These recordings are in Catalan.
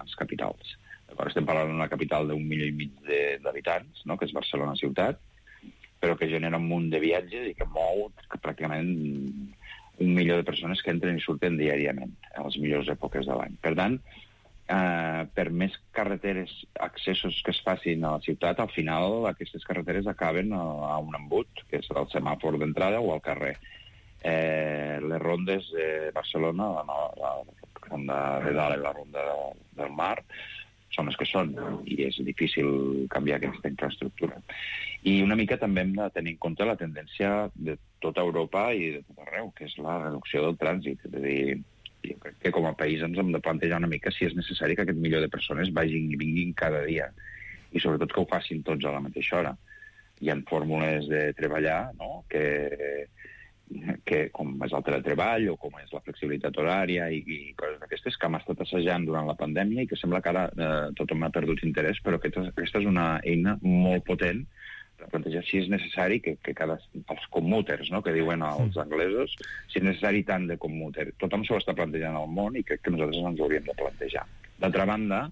grans capitals. Estem parlant d'una capital d'1,5 milió d'habitants, no?, que és Barcelona ciutat, però que genera un munt de viatges i que mou pràcticament 1 milió de persones que entren i surten diàriament a les millors èpoques de l'any. Per tant, per més carreteres, accessos que es facin a la ciutat, al final aquestes carreteres acaben a un embut, que és el semàfor d'entrada o al carrer. Les rondes de Barcelona, la ronda de dalt i la ronda del mar, són les que són, i és difícil canviar aquesta infraestructura. I una mica també hem de tenir en compte la tendència de tota Europa i de tot arreu, que és la reducció del trànsit. És a dir, jo crec que com a país ens hem de plantejar una mica si és necessari que aquest milió de persones vagin i vinguin cada dia, i sobretot que ho facin tots a la mateixa hora. Hi ha fórmules de treballar, no?, que com és el teletreball o com és la flexibilitat horària i coses d'aquestes que hem estat assajant durant la pandèmia i que sembla que ara tothom ha perdut interès, però aquesta és una eina molt potent per plantejar si és necessari que els commuters, no?, que diuen els anglesos, si és necessari tant de commuter. Tothom s'ho està plantejant al món i crec que nosaltres ens ho hauríem de plantejar. D'altra banda,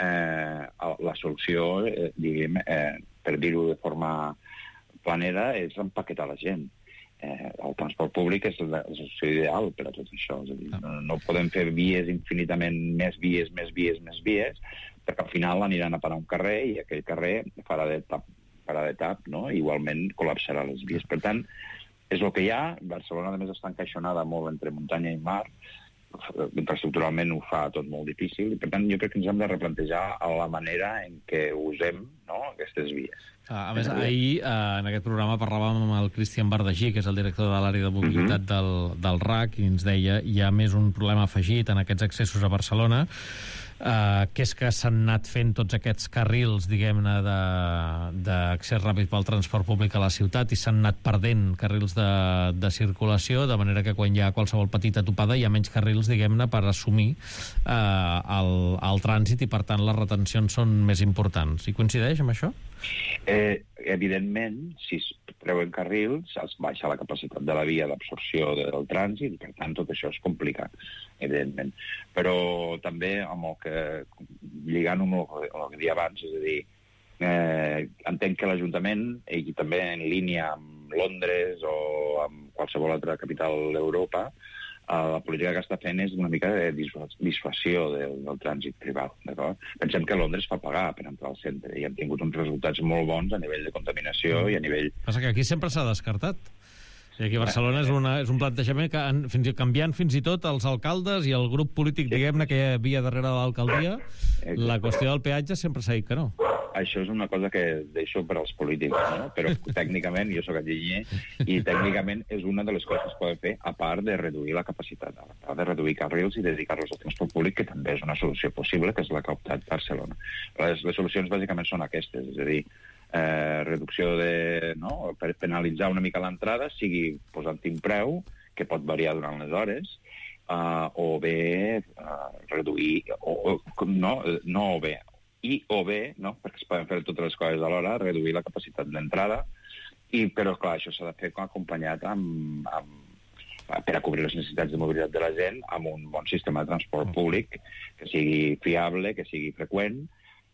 la solució, diguem, per dir-ho de forma planera, és empaquetar la gent. El transport públic és la solució ideal per a tot això. És a dir, no podem fer vies infinitament més vies, perquè al final aniran a parar un carrer i aquell carrer farà de tap, no? Igualment col·lapsarà les vies. Per tant, és el que hi ha. Barcelona, a més, està encaixonada molt entre muntanya i mar. Infraestructuralment ho fa tot molt difícil i, per tant, jo crec que ens hem de replantejar la manera en què usem, no?, aquestes vies. A més, ahir en aquest programa parlàvem amb el Cristian Bardagí, que és el director de l'àrea de mobilitat del RAC, i ens deia hi ha més un problema afegit en aquests accessos a Barcelona, que és que s'han anat fent tots aquests carrils, diguem-ne, d'accés ràpid pel transport públic a la ciutat i s'han anat perdent carrils de circulació, de manera que quan hi ha qualsevol petita topada hi ha menys carrils, diguem-ne, per assumir el trànsit i, per tant, les retencions són més importants. I coincideix amb això? Evidentment, si es treuen carrils, es baixa la capacitat de la via d'absorció del trànsit i, per tant, tot això és complicat, evidentment. Però també, lligant amb el que deia abans, és a dir, entenc que l'Ajuntament, i també en línia amb Londres o amb qualsevol altra capital d'Europa, la política que està fent és una mica de dissuasió del trànsit privat, d'acord? Pensem que Londres fa pagar per entrar al centre i han tingut uns resultats molt bons a nivell de contaminació i a nivell... Passa que aquí sempre s'ha descartat. I aquí a Barcelona és un plantejament que canviant fins i tot els alcaldes i el grup polític, diguem-ne, que hi havia darrere de l'alcaldia, la qüestió del peatge sempre s'ha dit que no. Això és una cosa que deixo per als polítics, no? Però tècnicament, jo soc enginyer, i tècnicament és una de les coses que es poden fer, a part de reduir la capacitat, a part de reduir carrils i dedicar-los al transport públic, que també és una solució possible, que és la que ha optat Barcelona. Les solucions bàsicament són aquestes, és a dir, reducció per penalitzar una mica l'entrada, sigui posant-hi un preu, que pot variar durant les hores, o bé reduir, perquè es poden fer totes les coses alhora, reduir la capacitat d'entrada, però clar, això s'ha de fer acompanyat per a cobrir les necessitats de mobilitat de la gent amb un bon sistema de transport públic que sigui fiable, que sigui freqüent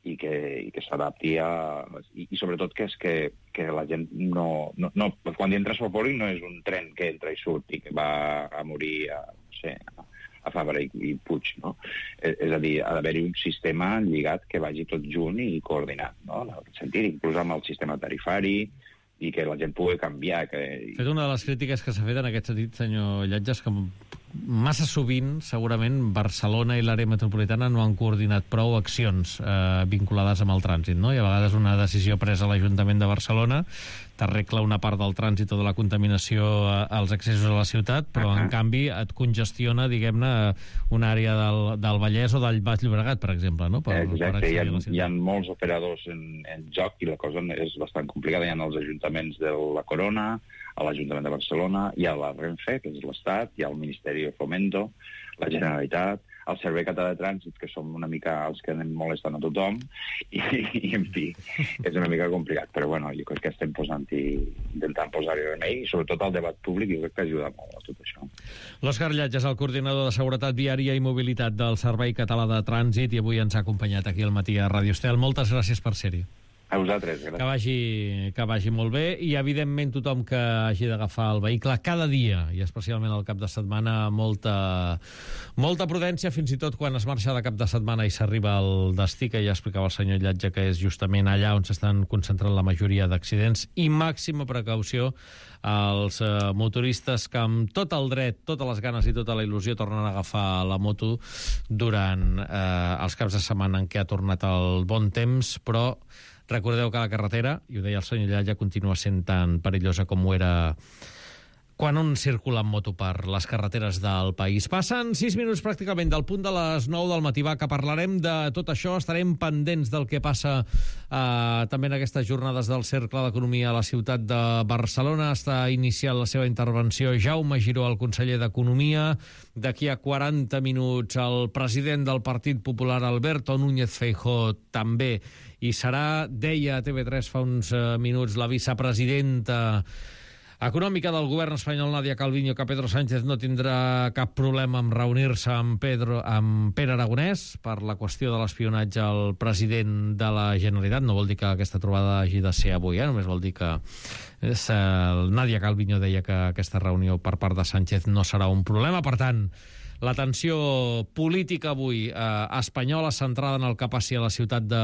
i que s'adapti i sobretot que la gent no quan hi entra transport públic no és un tren que entra i surt i que va a morir a Fabra i Puig, no? És a dir, ha d'haver-hi un sistema lligat que vagi tot junt i coordinat, no? En aquest sentit, inclús amb el sistema tarifari i que la gent pugui canviar. Fet una de les crítiques que s'ha fet en aquest sentit, senyor Lletges, que massa sovint, segurament, Barcelona i l'àrea metropolitana no han coordinat prou accions vinculades amb el trànsit, no? I a vegades una decisió presa a l'Ajuntament de Barcelona t'arregla una part del trànsit o de la contaminació als accessos a la ciutat, però en canvi et congestiona, diguem-ne, una àrea del Vallès o del Baix Llobregat, per exemple, no? Exacte, hi ha molts operadors en joc i la cosa és bastant complicada. Hi ha els ajuntaments de la Corona, a l'Ajuntament de Barcelona, hi ha la Renfe, que és l'Estat, hi ha el Ministeri de Fomento, la Generalitat, el Servei Català de Trànsit, que som una mica els que anem molestant a tothom, i en fi, és una mica complicat, però bueno, jo crec que estem intentant posar-hi remei, i sobretot el debat públic, jo crec que ajuda molt a tot això. L'Òscar Llach és el coordinador de Seguretat Viària i Mobilitat del Servei Català de Trànsit i avui ens ha acompanyat aquí al matí a Ràdio Estel. Moltes gràcies per ser-hi. A vosaltres, gràcies. Que vagi molt bé, i evidentment tothom que hagi d'agafar el vehicle cada dia, i especialment al cap de setmana, molta prudència, fins i tot quan es marxa de cap de setmana i s'arriba al destí, que ja explicava el senyor Llatge, que és justament allà on s'estan concentrant la majoria d'accidents, i màxima precaució als motoristes que amb tot el dret, totes les ganes i tota la il·lusió tornen a agafar la moto durant els caps de setmana en què ha tornat el bon temps, però recordeu que la carretera, i ho deia el senyor Llalla, continua sent tan perillosa com ho era quan un circula amb moto per les carreteres del país. Passen 6 minuts pràcticament del punt de les 9 del matí, que parlarem de tot això, estarem pendents del que passa també en aquestes jornades del Cercle d'Economia a la ciutat de Barcelona. Està iniciant la seva intervenció Jaume Giró, el conseller d'Economia. D'aquí a 40 minuts el president del Partit Popular, Alberto Núñez Feijóo, també i serà, deia a TV3 fa uns minuts, la vicepresidenta econòmica del govern espanyol, Nadia Calviño, que Pedro Sánchez no tindrà cap problema en reunir-se amb Pere Aragonès per la qüestió de l'espionatge al president de la Generalitat. No vol dir que aquesta trobada hagi de ser avui, només vol dir que Nadia Calviño deia que aquesta reunió per part de Sánchez no serà un problema. Per tant, la tensió política avui espanyola centrada en el que passi a la ciutat de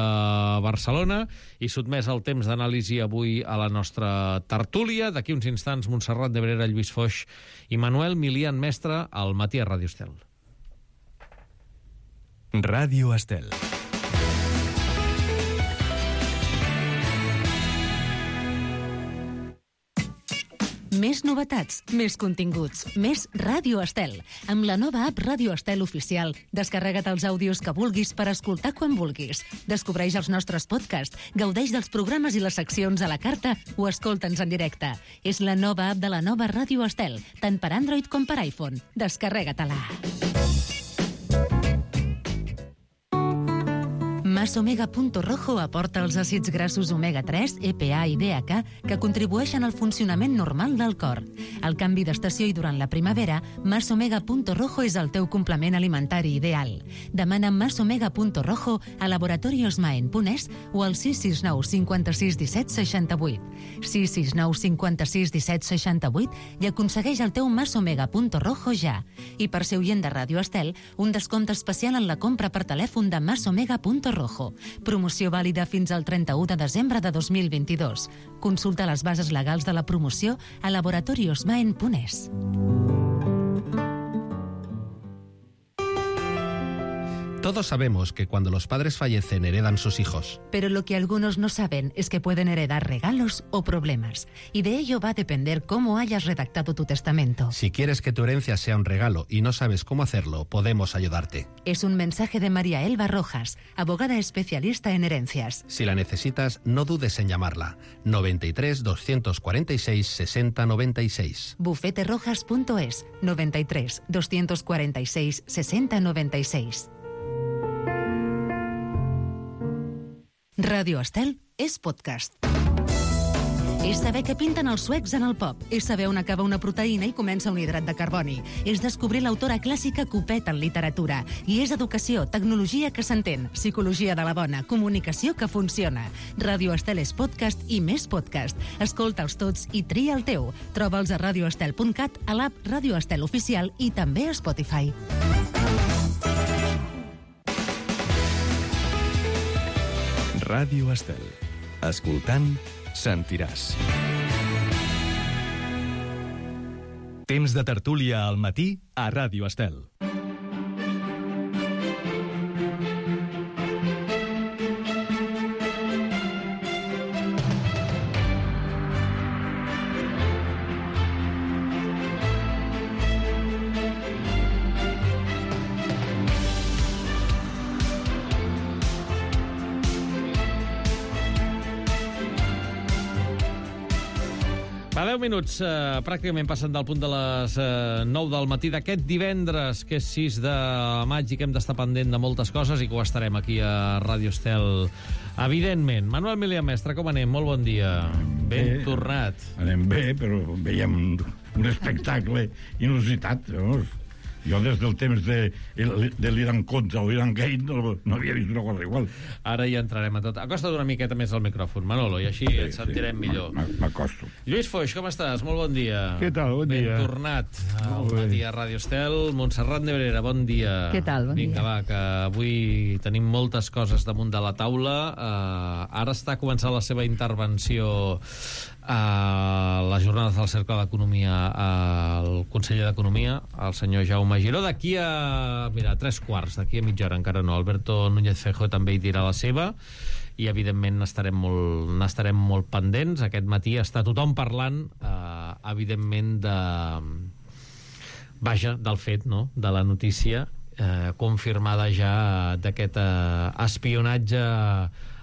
Barcelona i sotmès al temps d'anàlisi avui a la nostra tertúlia. D'aquí uns instants, Montserrat de Brera, Lluís Foix i Manuel Milian Mestre al matí a Ràdio Estel. Ràdio Estel. Més novetats, més continguts, més Ràdio Estel. Amb la nova app Ràdio Estel Oficial, descarrega't els àudios que vulguis per escoltar quan vulguis. Descobreix els nostres podcasts, gaudeix dels programes i les seccions a la carta o escolta'ns en directe. És la nova app de la nova Ràdio Estel, tant per Android com per iPhone. Descarrega-te-la. Mas-Omega.Rojo aporta els àcids grassos omega-3, EPA i DHA que contribueixen al funcionament normal del cor. Al canvi d'estació i durant la primavera, Mas-Omega.Rojo és el teu complement alimentari ideal. Demana Mas-Omega.Rojo a laboratoriosmaen.es o al 669 56 17 68. 669 56 17 68 i aconsegueix el teu Mas-Omega.Rojo ja. I per ser oient de Ràdio Estel, un descompte especial en la compra per telèfon de Mas-Omega.Rojo. Promoció vàlida fins al 31 de desembre de 2022. Consulta les bases legals de la promoció a laboratoriosmaen.es. Todos sabemos que cuando los padres fallecen heredan sus hijos. Pero lo que algunos no saben es que pueden heredar regalos o problemas. Y de ello va a depender cómo hayas redactado tu testamento. Si quieres que tu herencia sea un regalo y no sabes cómo hacerlo, podemos ayudarte. Es un mensaje de María Elba Rojas, abogada especialista en herencias. Si la necesitas, no dudes en llamarla. 93 246 60 96. Bufeterojas.es 93 246 60 96. Ràdio Estel és podcast. És saber què pinten els suecs en el pop. És saber on acaba una proteïna i comença un hidrat de carboni. És descobrir l'autora clàssica Copet en literatura. I és educació, tecnologia que s'entén, psicologia de la bona, comunicació que funciona. Ràdio Estel és podcast i més podcast. Escolta'ls tots i tria el teu. Troba'ls a radioestel.cat, a l'app Ràdio Estel Oficial i també a Spotify. Ràdio Estel. Escoltant, sentiràs. Temps de tertúlia al matí a Ràdio Estel. Fa 10 minuts, pràcticament passant del punt de les 9 del matí d'aquest divendres, que és 6 de maig i que hem d'estar pendent de moltes coses i que ho estarem aquí a Ràdio Estel, evidentment. Manuel Milià Mestre, com anem? Molt bon dia. Ben tornat. Anem bé, però veiem un espectacle inusitat, llavors. Jo des del temps de l'Iran contra o l'Iran Gate no havia vist una cosa igual. Ara hi entrarem a tot. Acosta't una miqueta més al micròfon, Manolo, i així et sentirem millor. M'acosto. Lluís Foix, com estàs? Molt bon dia. Què tal? Bon dia. Ben tornat al matí a Ràdio Estel. Montserrat Nebrera, bon dia. Què tal? Bon dia. Vinga, va, que avui tenim moltes coses damunt de la taula. Ara està començant la seva intervenció a les jornades del Cercle d'Economia al conseller d'Economia, el senyor Jaume Giró. D'aquí a, 3:15, d'aquí a mitja hora, encara no. Alberto Núñez Feijóo també hi dirà la seva i, evidentment, n'estarem molt pendents. Aquest matí està tothom parlant, evidentment, del fet, no?, de la notícia confirmada ja d'aquest espionatge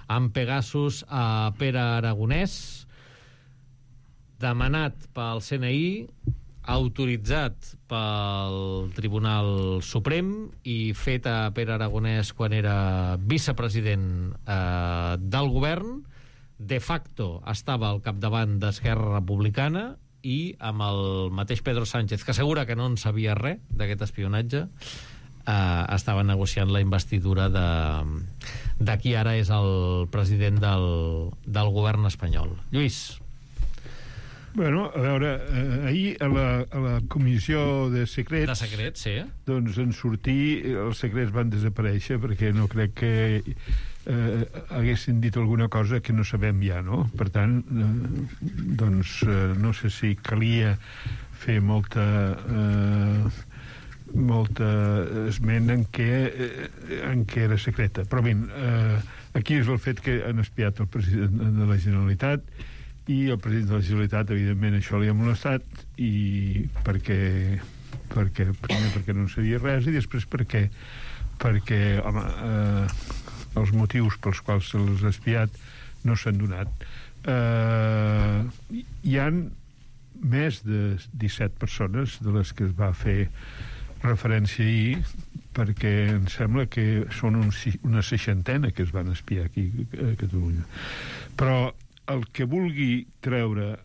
amb Pegasus a Pere Aragonès, demanat pel CNI, autoritzat pel Tribunal Suprem i fet a Pere Aragonès quan era vicepresident del govern. De facto estava al capdavant d'Esquerra Republicana i amb el mateix Pedro Sánchez, que assegura que no en sabia res d'aquest espionatge, estava negociant la investidura de qui ara és el president del govern espanyol. Lluís. Bueno, a veure, ahir a la comissió de secrets... De secrets, sí. Doncs en sortir, els secrets van desaparèixer perquè no crec que haguessin dit alguna cosa que no sabem ja, no? Per tant, doncs no sé si calia fer molta esment en què era secreta. Però bé, aquí és el fet que han espiat el president de la Generalitat i el president de la Generalitat, evidentment, això li ha molestat, i primer perquè no en sabia res i després perquè home, els motius pels quals se l'ha espiat no s'han donat. Hi han més de 17 persones de les que es va fer referència ahir, perquè em sembla que són una 60ena que es van espiar aquí a Catalunya. Però el que vulgui treure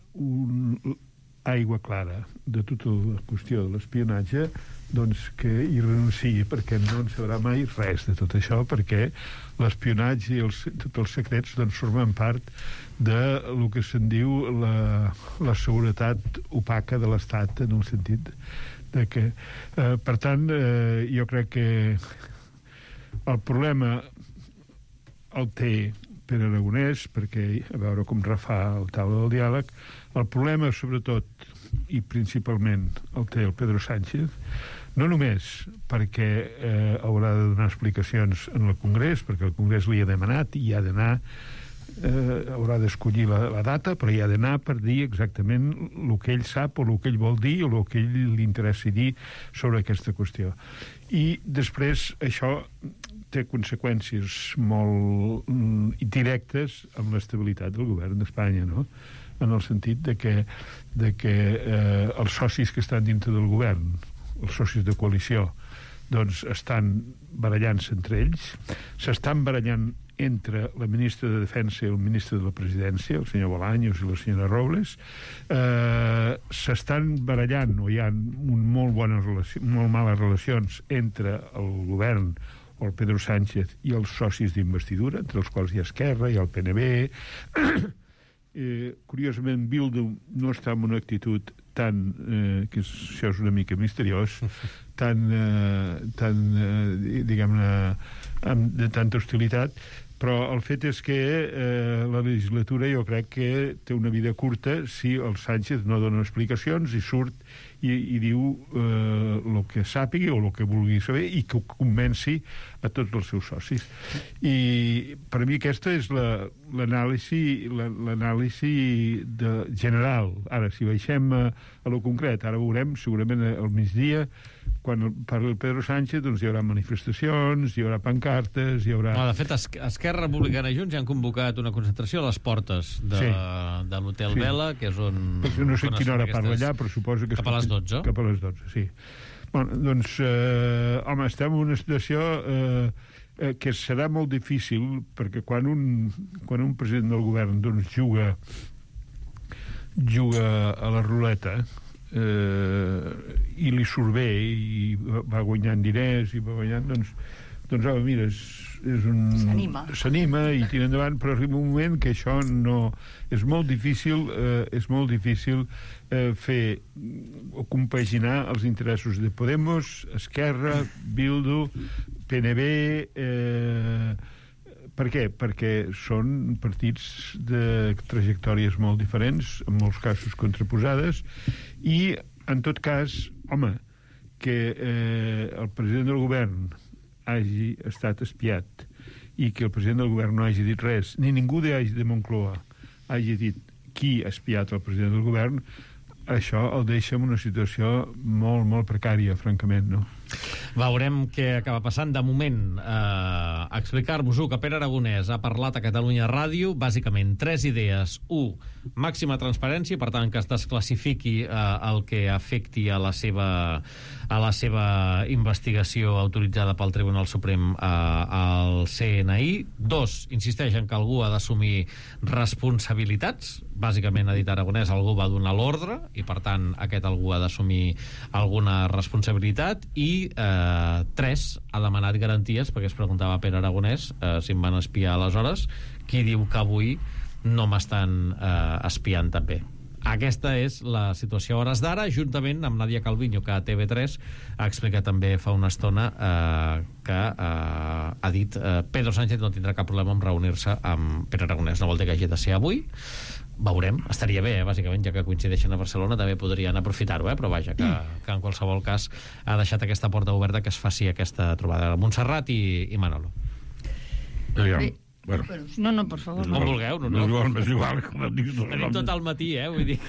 aigua clara de tota la qüestió de l'espionatge, doncs que hi renunciï, perquè no en sabrà mai res de tot això, perquè l'espionatge i tots els secrets doncs formen part de lo que se'n diu la seguretat opaca de l'Estat, en el sentit de que per tant jo crec que el problema el té Pere Aragonès, perquè a veure com refà el taula del diàleg. El problema, sobretot i principalment, el té el Pedro Sánchez, no només perquè haurà de donar explicacions en el Congrés, perquè el Congrés li ha demanat i ha d'anar, haurà d'escollir la data, però hi ha d'anar per dir exactament el que ell sap o el que ell vol dir o el que ell li interessi dir sobre aquesta qüestió. I després això té conseqüències molt directes amb l'estabilitat del govern d'Espanya, no? En el sentit de que els socis que estan dintre del govern, els socis de coalició, doncs estan barallant-se entre ells, s'estan barallant entre la ministra de Defensa i el ministre de la Presidència, el senyor Bolaños i la senyora Robles, s'estan barallant, o hi ha molt males relacions entre el govern o el Pedro Sánchez i els socis d'investidura, entre els quals hi ha Esquerra, hi ha el PNB. Curiosament, Bildu no està en una actitud tan, que això és una mica misteriós, tan diguem-ne, de tanta hostilitat, però el fet és que la legislatura jo crec que té una vida curta si el Sánchez no dona explicacions i surt i diu el que sàpiga o el que vulgui saber i que ho convenci a tots els seus socis. I per mi aquesta és l'anàlisi general. Ara, si baixem a lo concret, ara veurem segurament al migdia quan parli el Pedro Sánchez, doncs hi haurà manifestacions, hi haurà pancartes, hi haurà... No, de fet, Esquerra Republicana i Junts ja han convocat una concentració a les portes de l'Hotel Vela, que és on... No sé quina hora parla allà, però suposo que... Cap a les 12. Cap a les 12, sí. Bueno, doncs, home, estem en una situació que serà molt difícil, perquè quan un president del govern doncs, juga a la ruleta i li surt bé i va guanyant diners i va guanyant, doncs home, mira, és un... S'anima i tira endavant, però arriba un moment que això no... És molt difícil fer o compaginar els interessos de Podemos, Esquerra, Bildu, PNB... Per què? Perquè són partits de trajectòries molt diferents, en molts casos contraposades, i, en tot cas, home, que el president del govern hagi estat espiat i que el president del govern no hagi dit res, ni ningú de Moncloa hagi dit qui ha espiat el president del govern, això el deixa en una situació molt, molt precària, francament, no? Veurem què acaba passant. De moment, explicar-vos-ho que Pere Aragonès ha parlat a Catalunya Ràdio, bàsicament 3 idees. 1, màxima transparència, per tant, que es desclassifiqui el que afecti a la seva investigació autoritzada pel Tribunal Suprem al CNI. 2, insisteix en que algú ha d'assumir responsabilitats. Bàsicament, ha dit Aragonès, algú va donar l'ordre i, per tant, aquest algú ha d'assumir alguna responsabilitat. I 3, ha demanat garanties, perquè es preguntava Pere Aragonès si em van espiar aleshores, qui diu que avui no m'estan espiant també. Aquesta és la situació a hores d'ara, juntament amb Nadia Calviño, que a TV3 ha explicat també fa una estona que ha dit Pedro Sánchez no tindrà cap problema en reunir-se amb Pere Aragonès. No vol dir que hagi de ser avui. Veurem, estaria bé, bàsicament, ja que coincideixen a Barcelona, també podrien aprofitar-ho, però vaja, que en qualsevol cas ha deixat aquesta porta oberta que es faci aquesta trobada. Montserrat i Manolo. Bueno. No, per favor. Com vulgueu, no? És igual, com et dic. Tenim tot el matí, vull dir.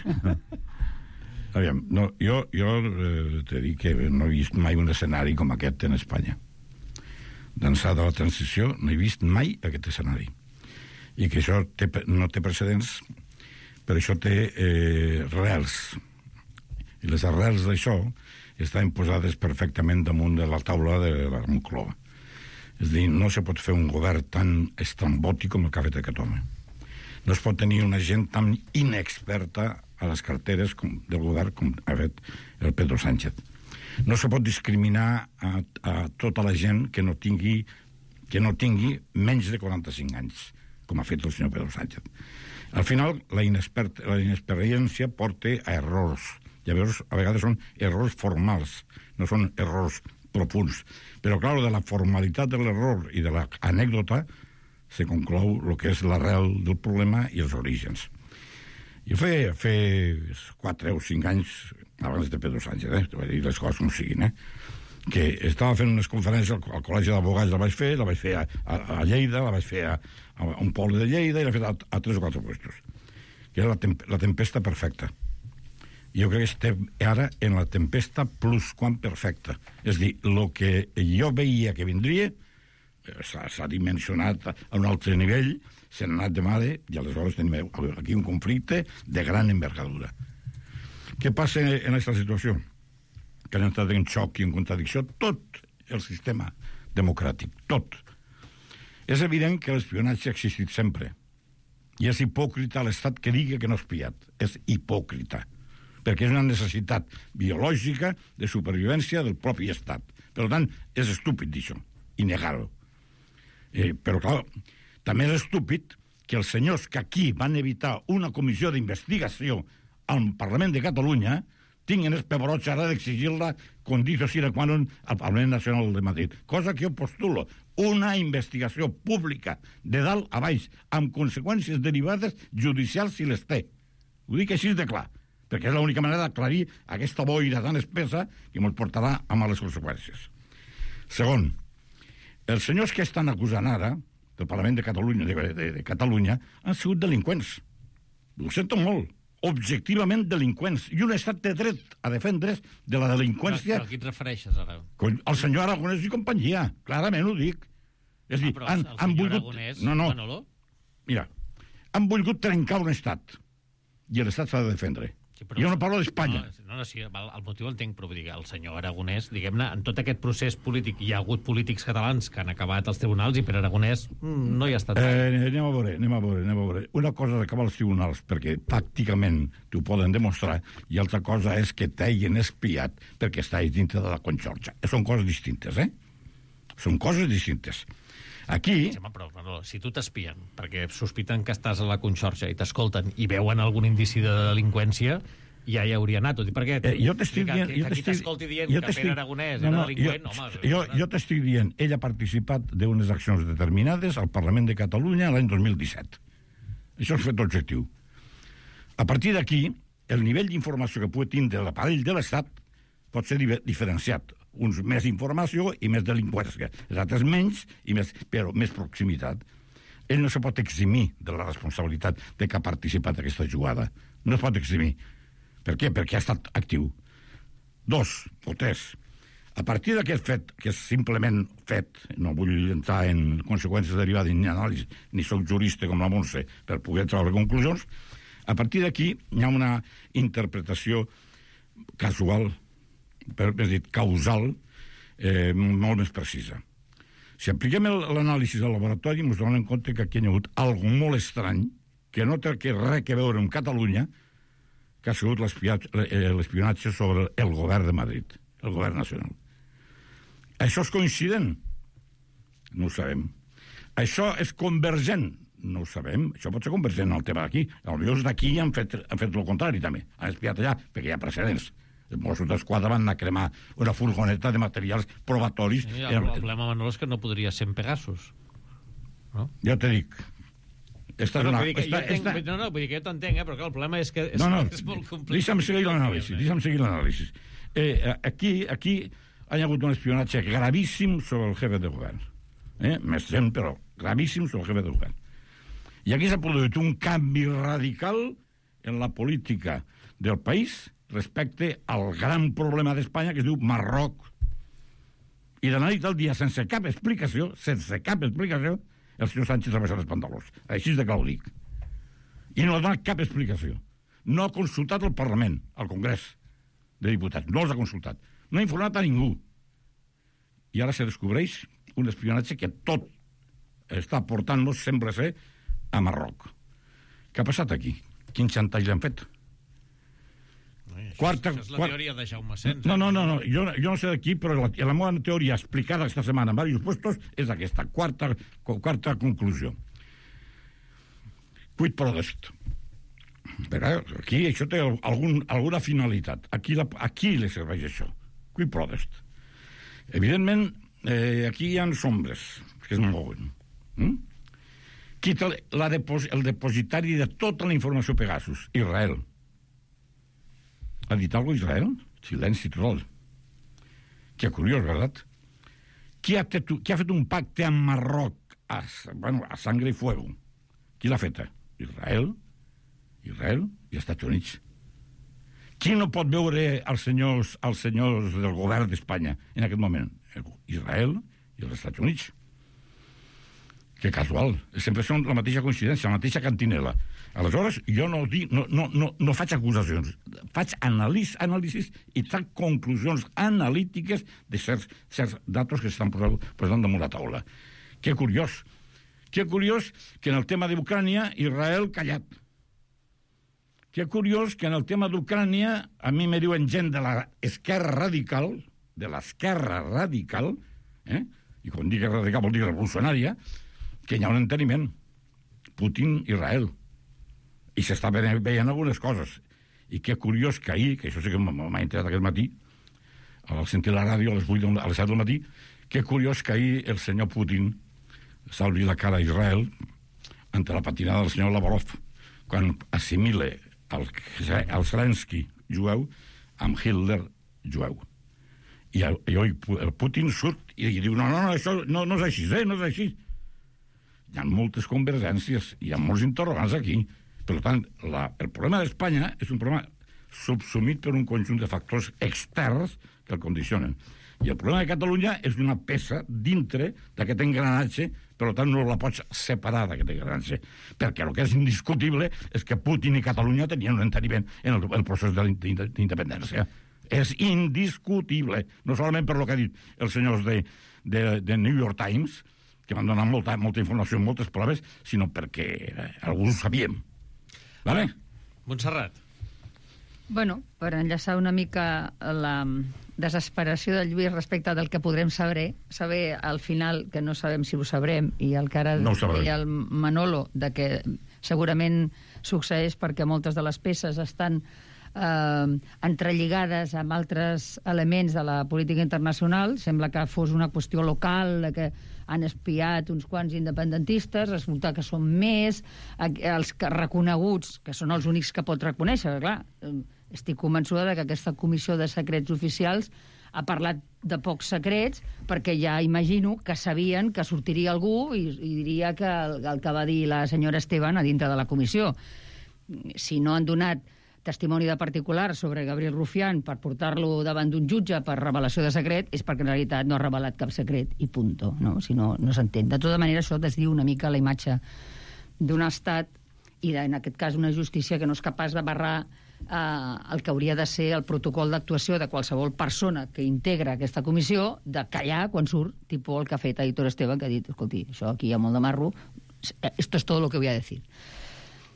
Aviam, no, jo t'he dit que no he vist mai un escenari com aquest en Espanya. D'ençà de la transició no he vist mai aquest escenari. I que això no té precedents, però això té arrels. I les arrels d'això estan posades perfectament damunt de la taula de la Moncloa. És a dir, no se pot fer un govern tan estrambòtic com el que ha fet aquest home. No es pot tenir una gent tan inexperta a les carteres del govern com ha fet el Pedro Sánchez. No se pot discriminar a tota la gent que no tingui menys de 45 anys, com ha fet el senyor Pedro Sánchez. Al final, la inexperiència porta a errors. Llavors, a vegades són errors formals, no són errors profunds. Però, clar, de la formalitat de l'error i de l'anècdota se conclou el que és l'arrel del problema i els orígens. Jo feia 4 o 5 anys abans de Pedro Sánchez, i les coses com siguin, que estava fent unes conferències al Col·legi d'Advocats, la vaig fer a Lleida, la vaig fer a un poble de Lleida i l'he fet a 3 o 4 puestos, que era la tempesta perfecta. Jo crec que estem ara en la tempesta plus quan perfecta. És a dir, el que jo veia que vindria s'ha dimensionat a un altre nivell, s'ha anat de mare i aleshores tenim aquí un conflicte de gran envergadura. Què passa en aquesta situació? Que han entrat en xoc i en contradicció tot el sistema democràtic, tot. És evident que l'espionatge ha existit sempre i és hipòcrita l'estat que digui que no ha espiat. És hipòcrita, perquè és una necessitat biològica de supervivència del propi estat. Per tant, és estúpid d'això, i negar-ho. Però, clar, també és estúpid que els senyors que aquí van evitar una comissió d'investigació al Parlament de Catalunya tinguin els pebrots ara d'exigir-la condició sine qua non al Parlament Nacional de Madrid. Cosa que jo postulo. Una investigació pública de dalt a baix, amb conseqüències derivades judicials si les té. Ho dic així de clar, perquè és l'única manera d'aclarir aquesta boira tan espessa que ens portarà a males conseqüències. Segon, els senyors que estan acusant ara del Parlament de Catalunya, de Catalunya han sigut delinqüents. Ho sento molt, objectivament delinqüents. I un estat de dret a defendre's de la delinqüència... Però a qui et refereixes, ara? El senyor Aragonès i companyia, clarament ho dic. És a dir, però el senyor Aragonès... Manolo? Mira, han volgut trencar un estat i l'estat s'ha de defendre. Sí, jo no parlo d'Espanya. Sí, el motiu entenc, però vull dir, el senyor Aragonès, diguem-ne, en tot aquest procés polític hi ha hagut polítics catalans que han acabat als tribunals i per Aragonès no hi ha estat. Anem a veure. Una cosa és acabar als tribunals, perquè pràcticament t'ho poden demostrar, i altra cosa és que t'hagin espiat perquè estàs dintre de la Conxorxa. Són coses distintes, Són coses distintes. Aquí... Sí, però si tu t'espien perquè sospiten que estàs a la Conxorxa i t'escolten i veuen algun indici de delinqüència, ja hi hauria anat. Per què? Jo t'estic dient... Que aquí t'escolti dient que Pere Aragonès era delinqüent, home... Jo t'estic dient, ell ha participat d'unes accions determinades al Parlament de Catalunya l'any 2017. Això és fet objectiu. A partir d'aquí, el nivell d'informació que pugui tindre l'aparell de l'Estat pot ser diferenciat. Uns més informació i més delinqüència. Els altres menys, però més proximitat. Ell no se pot eximir de la responsabilitat de que ha participat en aquesta jugada. No es pot eximir. Per què? Perquè ha estat actiu. 2 o 3. A partir d'aquest fet, que és simplement fet, no vull entrar en conseqüències derivades ni anàlisi, ni soc jurista com la Montse per poder treure conclusions, a partir d'aquí hi ha una interpretació casual, és dit, causal, molt més precisa. Si apliquem l'anàlisi del laboratori, ens donem en compte que aquí hi ha hagut algo molt estrany, que no té res a veure amb Catalunya, que ha sigut l'espionatge sobre el govern de Madrid, el govern nacional. Això és coincident? No ho sabem. Això és convergent? No ho sabem. Això pot ser convergent al tema d'aquí. Potser d'aquí han fet el contrari, també. Han espiat allà, perquè hi ha precedents. Els Mossos d'Esquadra van anar a cremar una furgoneta de materials probatoris. Sí, el problema, Manolo, és que no podria ser en Pegasus. No? Jo te dic. Vull dir que jo t'entenc, però clar, el problema és que és molt complicat. Deixa'm seguir l'anàlisi. Aquí hi ha hagut un espionatge gravíssim sobre el jefe de govern. Més gent, però gravíssim sobre el jefe de govern. I aquí s'ha produït un canvi radical en la política del país respecte al gran problema d'Espanya que es diu Marroc. I de la nit al dia, sense cap explicació, el senyor Sánchez ha baixat els pantalons. Així de clar ho dic. I no ha donat cap explicació. No ha consultat el Parlament, el Congrés de Diputats. No els ha consultat. No ha informat a ningú. I ara se descobreix un espionatge que tot està portant-nos, sembla ser, a Marroc. Què ha passat aquí? Quin xantatge l'han fet? Això és la teoria de Jaume Sens. No. Jo no sé d'aquí, però la meva teoria explicada aquesta setmana en diversos puestos és aquesta, quarta conclusió. Quid prodest. Però aquí això té alguna finalitat. Aquí li serveix això. Quid prodest. Evidentment, aquí hi ha ombres que es mouen. Qui té el depositari de tota la informació Pegasus? Israel. ¿Ha dit algo Israel? Silenci total. Qué curioso, ¿verdad? ¿Qui ha fet un pacte amb Marroc a sangre i fuego? Qui l'ha fet? Israel i Estats Units. Qui no pot veure els senyors del govern d'Espanya en aquest moment? Israel i els Estats Units. Que casual. Sempre són la mateixa coincidència, la mateixa cantinela. Aleshores, jo no faig acusacions. Faig anàlisis i trac conclusions analítiques de certs datos que s'estan posant damunt la taula. Que curiós. Que curiós que en el tema d'Ucrània, Israel callat. Que curiós que en el tema d'Ucrània a mi me diuen gent de l'esquerra radical, i quan dic radical vol dir revolucionària, que hi ha un enteniment. Putin, Israel. I s'està veient algunes coses. I que curiós que ahir, que això sí que m'ha entrat aquest matí, al sentir la ràdio a les 7 del matí, que curiós que ahir el senyor Putin salvi la cara a Israel ante la patinada del senyor Lavrov quan assimile el Zelensky jueu amb Hitler jueu. I el Putin surt i diu no, això no és així, no és així. Hi ha moltes convergències, hi ha molts interrogants aquí. Per tant, el problema d'Espanya és un problema subsumit per un conjunt de factors externs que el condicionen. I el problema de Catalunya és una peça dintre d'aquest engranatge, per tant no la pots separar d'aquest engranatge, perquè el que és indiscutible és que Putin i Catalunya tenien un enteniment en el procés d'independència. És indiscutible, no solament per lo que ha dit els senyors de New York Times, que van donar molta informació, moltes proves, sinó perquè alguns ho sabíem. Vale? Montserrat. Bueno, per enllaçar una mica la desesperació del Lluís respecte del que podrem saber al final, que no sabem si ho sabrem, i el que ara deia el Manolo, de que segurament succeeix perquè moltes de les peces estan entrelligades amb altres elements de la política internacional. Sembla que fos una qüestió local, que han espiat uns quants independentistes, resulta que són més els reconeguts, que són els únics que pot reconèixer. Clar, estic convençuda que aquesta comissió de secrets oficials ha parlat de pocs secrets, perquè ja imagino que sabien que sortiria algú i diria que el que va dir la senyora Esteban a dintre de la comissió. Si no han donat testimoni de particular sobre Gabriel Rufián per portar-lo davant d'un jutge per revelació de secret, és perquè en realitat no ha revelat cap secret i punto, no? Si no, no s'entén. De tota manera, això desdiu una mica la imatge d'un estat i, en aquest cas, una justícia que no és capaç de barrar el que hauria de ser el protocol d'actuació de qualsevol persona que integra aquesta comissió, de callar quan surt, tipus el que ha fet Aitor Esteban, que ha dit, escolti, això aquí hi ha molt de marro, esto es todo lo que voy a decir.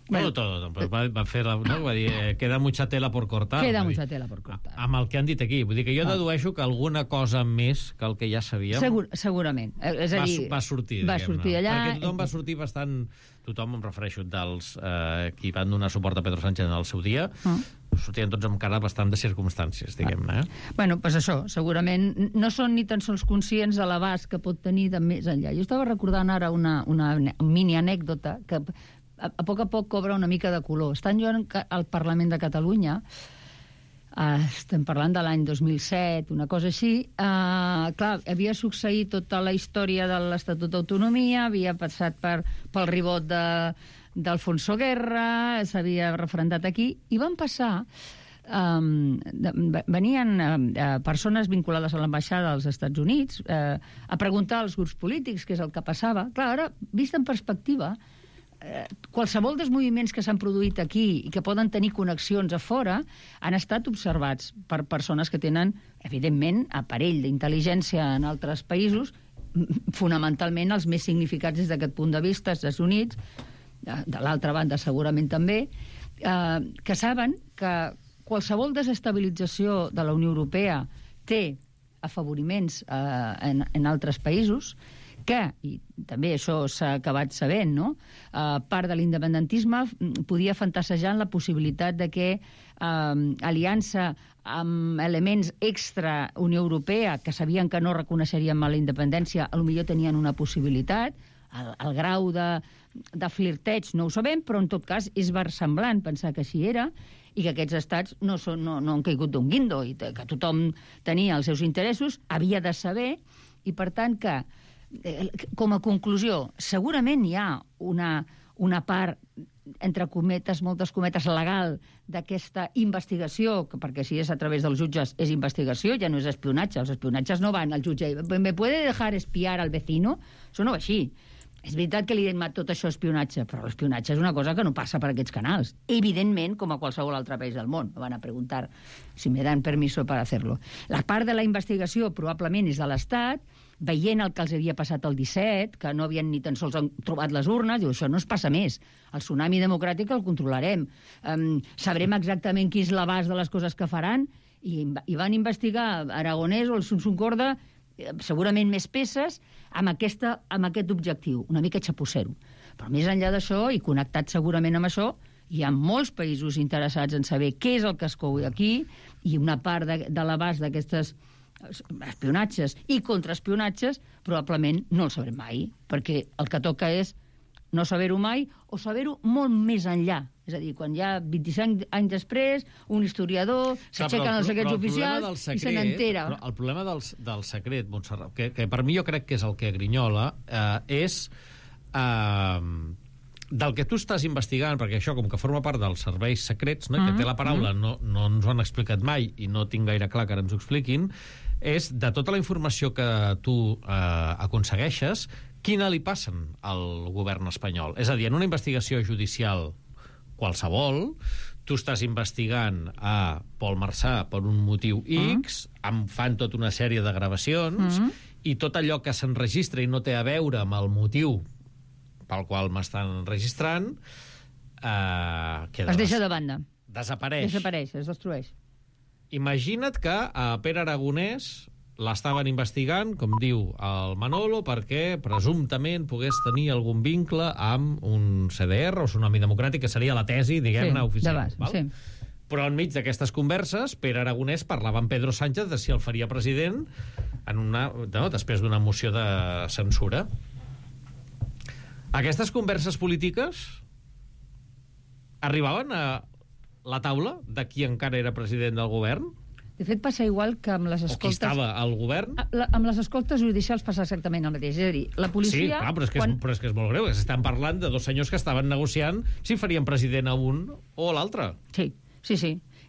Bueno, todo, va fer no? Va dir, queda mucha tela por cortar. Queda mucha tela por cortar. Amb el que han dit aquí. Vull dir que jo dedueixo que alguna cosa més que el que ja sabíem segurament. És a dir, va sortir allà. Perquè tothom va sortir bastant... Tothom, em refereixo, dels qui van donar suport a Pedro Sánchez en el seu dia, sortien tots amb cara bastant de circumstàncies, diguem-ne. Bueno, doncs això, segurament no són ni tan sols conscients de l'abast que pot tenir de més enllà. Jo estava recordant ara una mini anècdota que a poc cobra una mica de color. Estant jo al Parlament de Catalunya, estem parlant de l'any 2007, una cosa així, clar, havia succeït tota la història de l'Estatut d'Autonomia, havia passat pel ribot d'Alfonso Guerra, s'havia referendat aquí, i van passar... venien persones vinculades a l'ambaixada dels Estats Units a preguntar als grups polítics què és el que passava. Clar, ara, vist en perspectiva, qualsevol dels moviments que s'han produït aquí i que poden tenir connexions a fora han estat observats per persones que tenen, evidentment, aparell d'intel·ligència en altres països, fonamentalment els més significats des d'aquest punt de vista, Estats Units, de l'altra banda segurament també, que saben que qualsevol desestabilització de la Unió Europea té afavoriments en altres països, que, i també això s'ha acabat sabent, no? Part de l'independentisme podia fantasejar en la possibilitat de que aliança amb elements extra Unió Europea, que sabien que no reconeixerien la independència, potser tenien una possibilitat. El grau de flirteig no ho sabem, però en tot cas és versemblant pensar que així era, i que aquests estats no han caigut d'un guindo, i que tothom tenia els seus interessos, havia de saber, i per tant que com a conclusió, segurament hi ha una part, entre cometes, moltes cometes, legal d'aquesta investigació, perquè si és a través dels jutges és investigació, ja no és espionatge. Els espionatges no van al jutge. ¿Me puede dejar espiar al vecino? Això no va així. És veritat que li hem dit tot això espionatge, però l'espionatge és una cosa que no passa per aquests canals. Evidentment, com a qualsevol altre país del món. Van a preguntar si me dan permiso para hacerlo. La part de la investigació probablement és de l'Estat, veient el que els havia passat el 17, que no havien ni tan sols trobat les urnes, diu, això no es passa més. El tsunami democràtic el controlarem. Sabrem exactament qui és l'abast de les coses que faran, i van investigar Aragonès o el Sunsum Corda, segurament més peces, amb aquest objectiu, una mica xapussero. Però més enllà d'això, i connectat segurament amb això, hi ha molts països interessats en saber què és el que es cou aquí, i una part de l'abast d'aquestes espionatges i contraespionatges probablement no el sabrem mai, perquè el que toca és no saber-ho mai o saber-ho molt més enllà. És a dir, quan ja 25 anys després un historiador s'aixequen els secrets oficials i se n'entera. El problema del secret, Montserrat, que per mi jo crec que és el que grinyola, és del que tu estàs investigant, perquè això com que forma part dels serveis secrets, no? Que té la paraula, no ens ho han explicat mai i no tinc gaire clar que ara ens ho expliquin, és de tota la informació que tu aconsegueixes, quina li passen al govern espanyol? És a dir, en una investigació judicial qualsevol, tu estàs investigant a Pol Marsà per un motiu X, em fan tota una sèrie de gravacions, i tot allò que s'enregistra i no té a veure amb el motiu pel qual m'estan registrant, es deixa de banda. Desapareix. Es destrueix. Imagina't que a Pere Aragonès l'estaven investigant, com diu el Manolo, perquè presumptament pogués tenir algun vincle amb un CDR o Tsunami Democràtic, que seria la tesi, diguem-ne, oficial. Sí. Però enmig d'aquestes converses, Pere Aragonès parlava amb Pedro Sánchez de si el faria president després d'una moció de censura. Aquestes converses polítiques arribaven a la taula de qui encara era president del govern? De fet, passa igual que amb les escoltes... O qui estava al govern? Amb les escoltes judicials passa exactament el mateix. És a dir, la policia... Sí, clar, però és que és molt greu. Estan parlant de dos senyors que estaven negociant si farien president a un o a l'altre. Sí.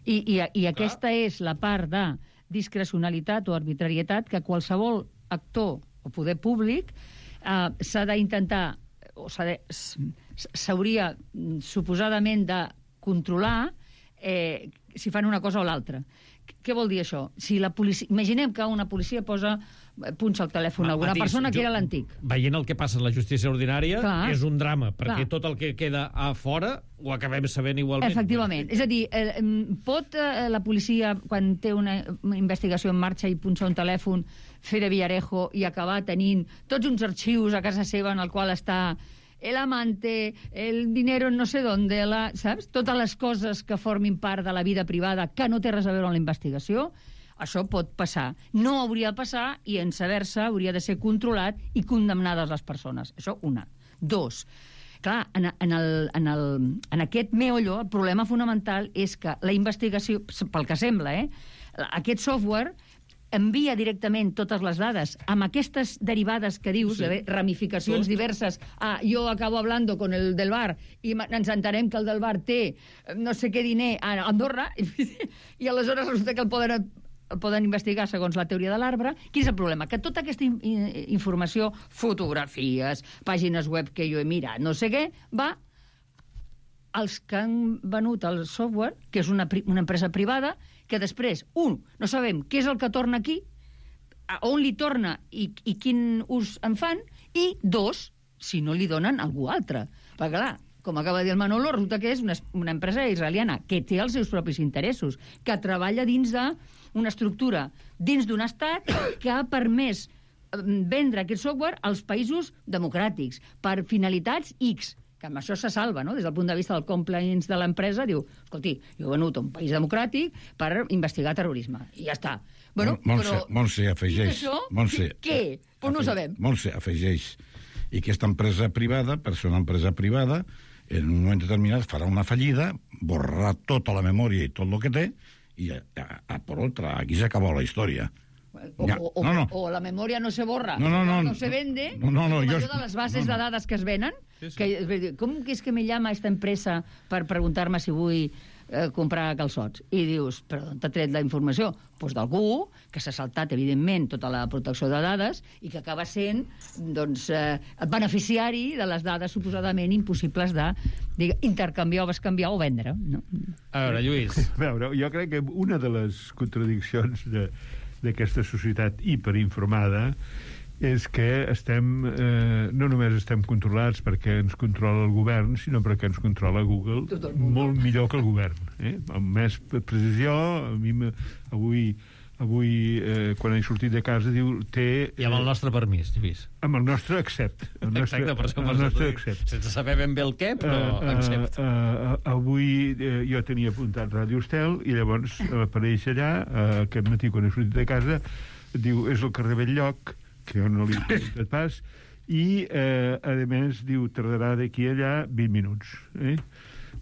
I aquesta és la part de discrecionalitat o arbitrarietat que qualsevol actor o poder públic s'ha d'intentar o s'hauria suposadament de controlar si fan una cosa o l'altra. Què vol dir això? Si la policia... Imaginem que una policia punxa el telèfon a alguna persona que era l'antic. Veient el que passa en la justícia ordinària, clar, és un drama, perquè tot el que queda a fora ho acabem sabent igualment. Efectivament. És a dir, pot la policia, quan té una investigació en marxa i punxa un telèfon, fer de Villarejo i acabar tenint tots uns arxius a casa seva en el qual està el amante, el dinero no sé dónde, saps? Totes les coses que formin part de la vida privada que no té res a veure amb la investigació, això pot passar. No hauria de passar i en saber-se hauria de ser controlat i condemnades les persones. Això, una. Dos, clar, en aquest meollo, el problema fonamental és que la investigació, pel que sembla, aquest software envia directament totes les dades amb aquestes derivades que dius, de ramificacions diverses. Jo acabo hablando con el del bar i ens entenem que el del bar té no sé què diner a Andorra i aleshores resulta que el poden investigar segons la teoria de l'arbre. Quin és el problema? Que tota aquesta informació, fotografies, pàgines web que jo he mirat, no sé què, va als que han venut el software, que és una empresa privada, que després, no sabem què és el que torna aquí, on li torna i quin ús en fan, i dos, si no li donen a algú altre. Perquè, clar, com acaba de dir el Manolo, resulta que és una empresa israeliana que té els seus propis interessos, que treballa dins d'una estructura, dins d'un estat que ha permès vendre aquest software als països democràtics per finalitats X, que amb això se salva, no? Des del punt de vista del compliance de l'empresa, diu, escolti, jo he venut a un país democràtic per investigar terrorisme. I ja està. Montse afegeix... Què? Pues no ho sabem. Montse afegeix. I aquesta empresa privada, per ser una empresa privada, en un moment determinat farà una fallida, borrarà tota la memòria i tot el que té, i per otra, aquí s'acabó la història. O la memòria no se borra, no se vende, de les bases de dades que es venen, com és que me llama esta empresa per preguntar-me si vull comprar calçots? I dius, però d'on t'ha tret la informació? Doncs d'algú que s'ha saltat, evidentment, tota la protecció de dades i que acaba sent beneficiari de les dades suposadament impossibles d'intercanviar o bescanviar o vendre. A veure, Lluís. Jo crec que una de les contradiccions d'aquesta societat hiperinformada és que no només estem controlats perquè ens controla el govern, sinó perquè ens controla Google molt millor que el govern. Amb més precisió, a mi avui quan he sortit de casa, diu... I amb el nostre permís, Lluís. Amb el nostre accept. Exacte, per això sense saber ben bé el què, però accept. Avui jo tenia apuntat Ràdio Estel i llavors apareix allà, aquest matí quan he sortit de casa, diu, és el carrer Belllloc, que jo no li he apuntat pas, i a més diu, tardarà d'aquí allà 20 minuts.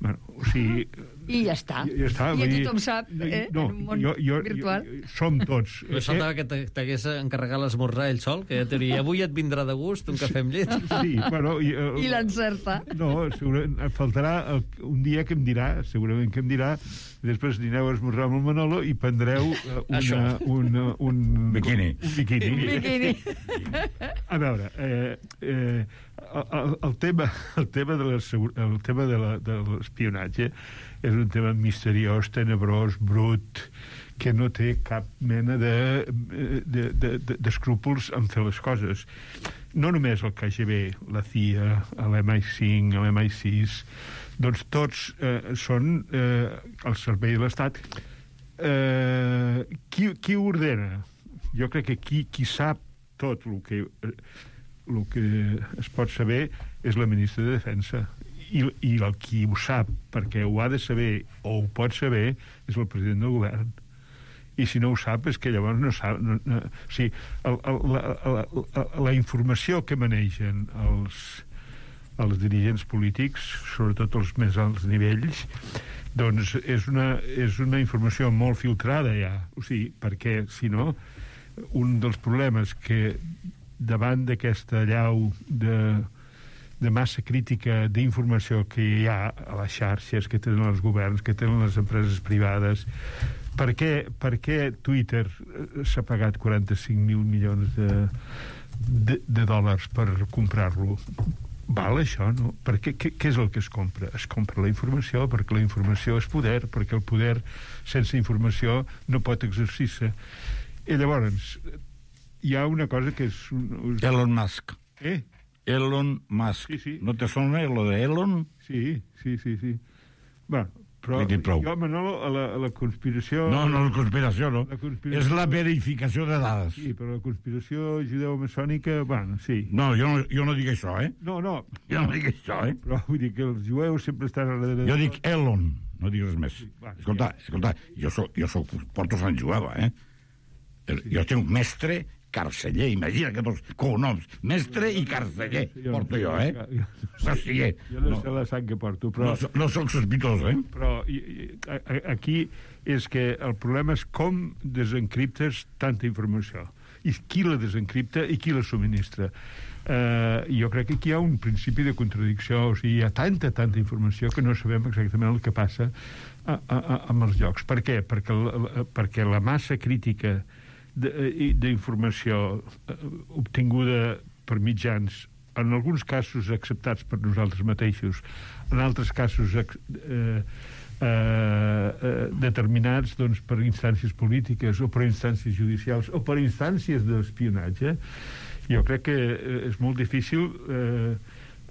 Bueno, o sigui... I ja està. Ja està. I tothom sap, en un món virtual. Som tots. Però faltava que t'hagués encarregat l'esmorzar ell sol, que ja t'hauria, avui et vindrà de gust un cafè amb llet. Sí, bueno... I l'encerta. No, segurament faltarà un dia que em dirà, segurament que em dirà, després dineu a esmorzar amb el Manolo i prendreu un biquini. Un biquini. A veure, el tema de l'espionatge és un tema misteriós, tenebrós, brut, que no té cap mena d'escrúpols en fer les coses. No només el KGB, la CIA, l'MI5, l'MI6, doncs tots són al servei de l'Estat. Qui ho ordena? Jo crec que qui sap tot el que es pot saber és la ministra de Defensa. I el qui ho sap, perquè ho ha de saber o ho pot saber, és el president del govern. I si no ho sap, és que llavors no sap... O sigui, la informació que manegen els dirigents polítics, sobretot els més alts nivells, doncs és una informació molt filtrada ja. O sigui, perquè, si no, un dels problemes que davant d'aquesta allau de massa crítica d'informació que hi ha a les xarxes, que tenen els governs, que tenen les empreses privades, per què Twitter s'ha pagat 45.000 milions de dòlars per comprar-lo? Val això, no? Què és el que es compra? Es compra la informació, perquè la informació és poder, perquè el poder sense informació no pot exercir-se. I llavors hi ha una cosa que és... Elon Musk. Elon Musk. Sí. ¿No te sona lo de Elon? Sí. Bueno, però jo, Manolo, a la conspiració... No, la conspiració no. És la verificació de dades. Sí, però la conspiració judeo-maçònica, bueno, sí. No, jo no dic això, No. Jo no dic això, Però vull dir que els jueus sempre estan a darrere... Jo dic Elon, no dic res més. Escolta, jo porto Sant Jueva, Jo tinc un mestre carceller, imagina que tots cognoms, mestre i carceller, porto jo, Carceller. Jo no sé la sang que porto, però... No soc sospitós, Però aquí és que el problema és com desencriptes tanta informació, i qui la desencripta i qui la subministra. Jo crec que aquí hi ha un principi de contradicció, o sigui, hi ha tanta informació que no sabem exactament el que passa amb els llocs. Per què? Perquè la massa crítica d'informació obtinguda per mitjans, en alguns casos acceptats per nosaltres mateixos, en altres casos determinats doncs, per instàncies polítiques o per instàncies judicials o per instàncies d'espionatge, jo crec que és molt difícil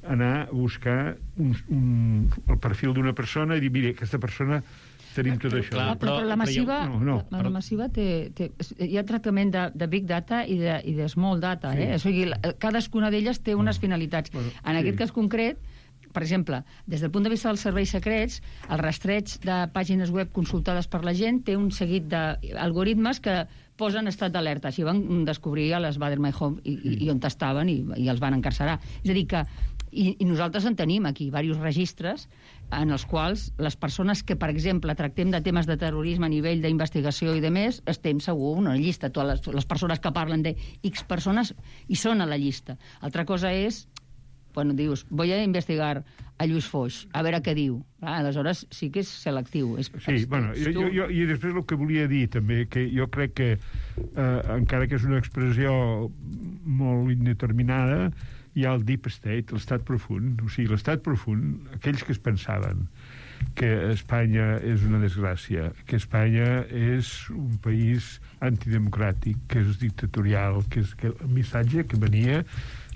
anar a buscar el perfil d'una persona i dir, mira, aquesta persona tenim tot això. Però la massiva, la massiva hi ha tractament de Big Data i de Small Data. O sigui, cadascuna d'elles té unes finalitats. En aquest cas concret, per exemple, des del punt de vista dels serveis secrets, el rastreig de pàgines web consultades per la gent té un seguit d'algoritmes que posen estat d'alerta. Així van descobrir a les Baader-Meinhof i on estaven i els van encarcerar. És a dir que i nosaltres en tenim aquí diversos registres en els quals les persones que, per exemple, tractem de temes de terrorisme a nivell d'investigació i de més, estem segur una llista. Totes les persones que parlen de X persones hi són a la llista. Altra cosa és, bueno, dius, voy a investigar a Lluís Foix, a veure què diu. Aleshores sí que és selectiu. Sí, bueno, jo i després el que volia dir també, que jo crec que encara que és una expressió molt indeterminada, hi ha el deep state, l'estat profund. O sigui, l'estat profund, aquells que es pensaven que Espanya és una desgràcia, que Espanya és un país antidemocràtic, que és dictatorial, que el missatge que venia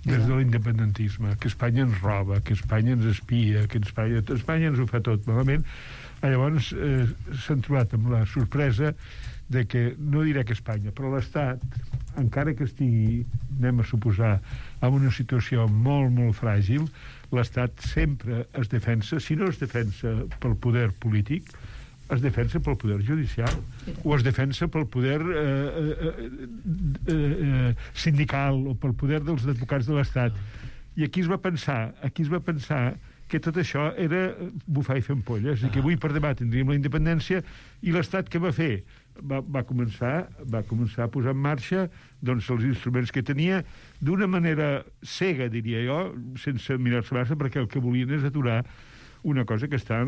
des de l'independentisme, que Espanya ens roba, que Espanya ens espia, que Espanya ens ho fa tot malament. Llavors s'han trobat amb la sorpresa de que, no diré que Espanya, però l'Estat, encara que estigui, anem a suposar, en una situació molt, molt fràgil, l'Estat sempre es defensa, si no es defensa pel poder polític, es defensa pel poder judicial, o es defensa pel poder sindical, o pel poder dels advocats de l'Estat. I aquí es va pensar que tot això era bufar i fer ampolles, i que avui per demà tindríem la independència, i l'Estat què va fer? Va començar a posar en marxa doncs, els instruments que tenia d'una manera cega, diria jo, sense mirar-se massa, perquè el que volien és aturar una cosa que està a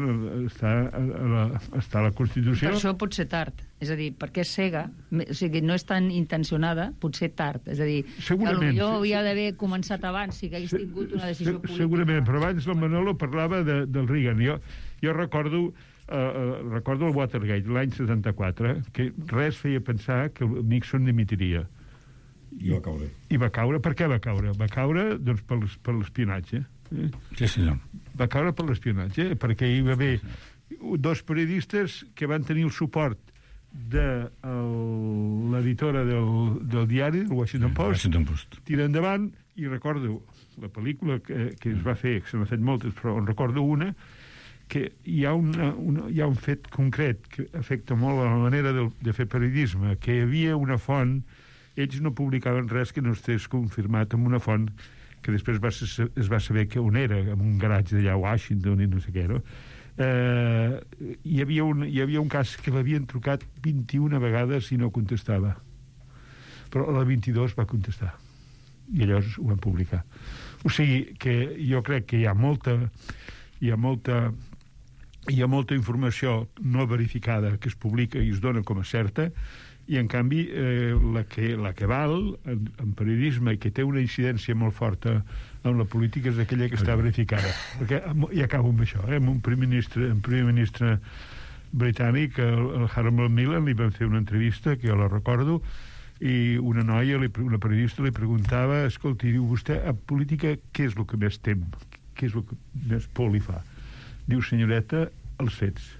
la Constitució. Per això pot ser tard. És a dir, perquè és cega, o sigui, no és tan intencionada, pot ser tard. És a dir, segurament, potser hauria d'haver començat abans si hagués tingut una decisió política. Segurament, però abans el Manolo parlava del Reagan. Jo recordo el Watergate, l'any 74, que res feia pensar que el Nixon dimitiria. I va caure. I va caure. Per què va caure? Va caure, doncs, per l'espionatge. Sí, senyor. Va caure per l'espionatge, perquè hi va haver dos periodistes que van tenir el suport de l'editora del diari, del Washington Post, tira endavant, i recordo la pel·lícula que es va fer, que se n'ha fet moltes, però en recordo una, que hi ha un fet concret que afecta molt a la manera de fer periodisme, que hi havia una font, ells no publicaven res que no estigués confirmat amb una font que després es va saber que on era, en un garatge d'allà a Washington i no sé què, no? Hi havia un cas que l'havien trucat 21 vegades i no contestava. Però a la 22 va contestar. I llavors ho van publicar. O sigui que jo crec que hi ha molta informació no verificada que es publica i es dona com a certa, i en canvi la que val en periodisme i que té una incidència molt forta en la política és aquella que està verificada. Perquè, i acabo amb això, amb un primer ministre britànic, el Harold Macmillan, li van fer una entrevista, que jo la recordo, i una noia, una periodista, li preguntava, escolti, diu, vostè a política què és el que més tem? Què és el que més por li fa? Diu, senyoreta, els fets.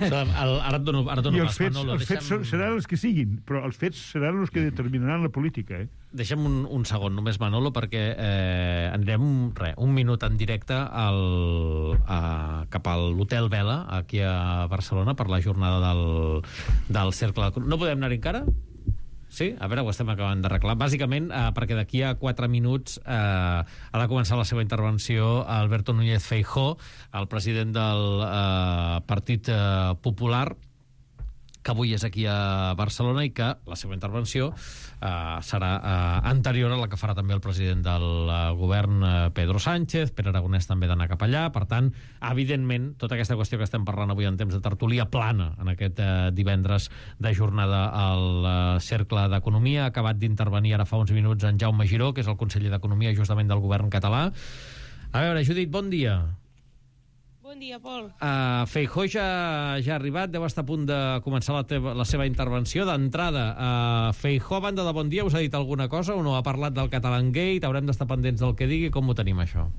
Ara et dono I els fets seran els que siguin, però els fets seran els que determinaran la política. Deixa'm un segon només, Manolo, perquè anirem un minut en directe cap a l'Hotel Vela, aquí a Barcelona, per la jornada del Cercle. No podem anar encara? Sí? A veure, ho estem acabant d'arreglar. Bàsicament, perquè d'aquí a 4 minuts ha de començar la seva intervenció Alberto Núñez Feijóo, el president del Partit Popular, que avui és aquí a Barcelona, i que la seva intervenció serà anterior a la que farà també el president del govern, Pedro Sánchez. Pere Aragonès també d'anar cap allà. Per tant, evidentment, tota aquesta qüestió que estem parlant avui en temps de tertúlia plana en aquest divendres de jornada al Cercle d'Economia. Ha acabat d'intervenir ara fa uns minuts en Jaume Giró, que és el conseller d'Economia justament del govern català. A veure, Judit, bon dia. Bon dia, Pol. Feijóo ja ha arribat, deu estar a punt de començar la seva intervenció. D'entrada, Feijóo, a banda de bon dia, us ha dit alguna cosa o no? Ha parlat del Catalangate? Haurem d'estar pendents del que digui? Com ho tenim, això?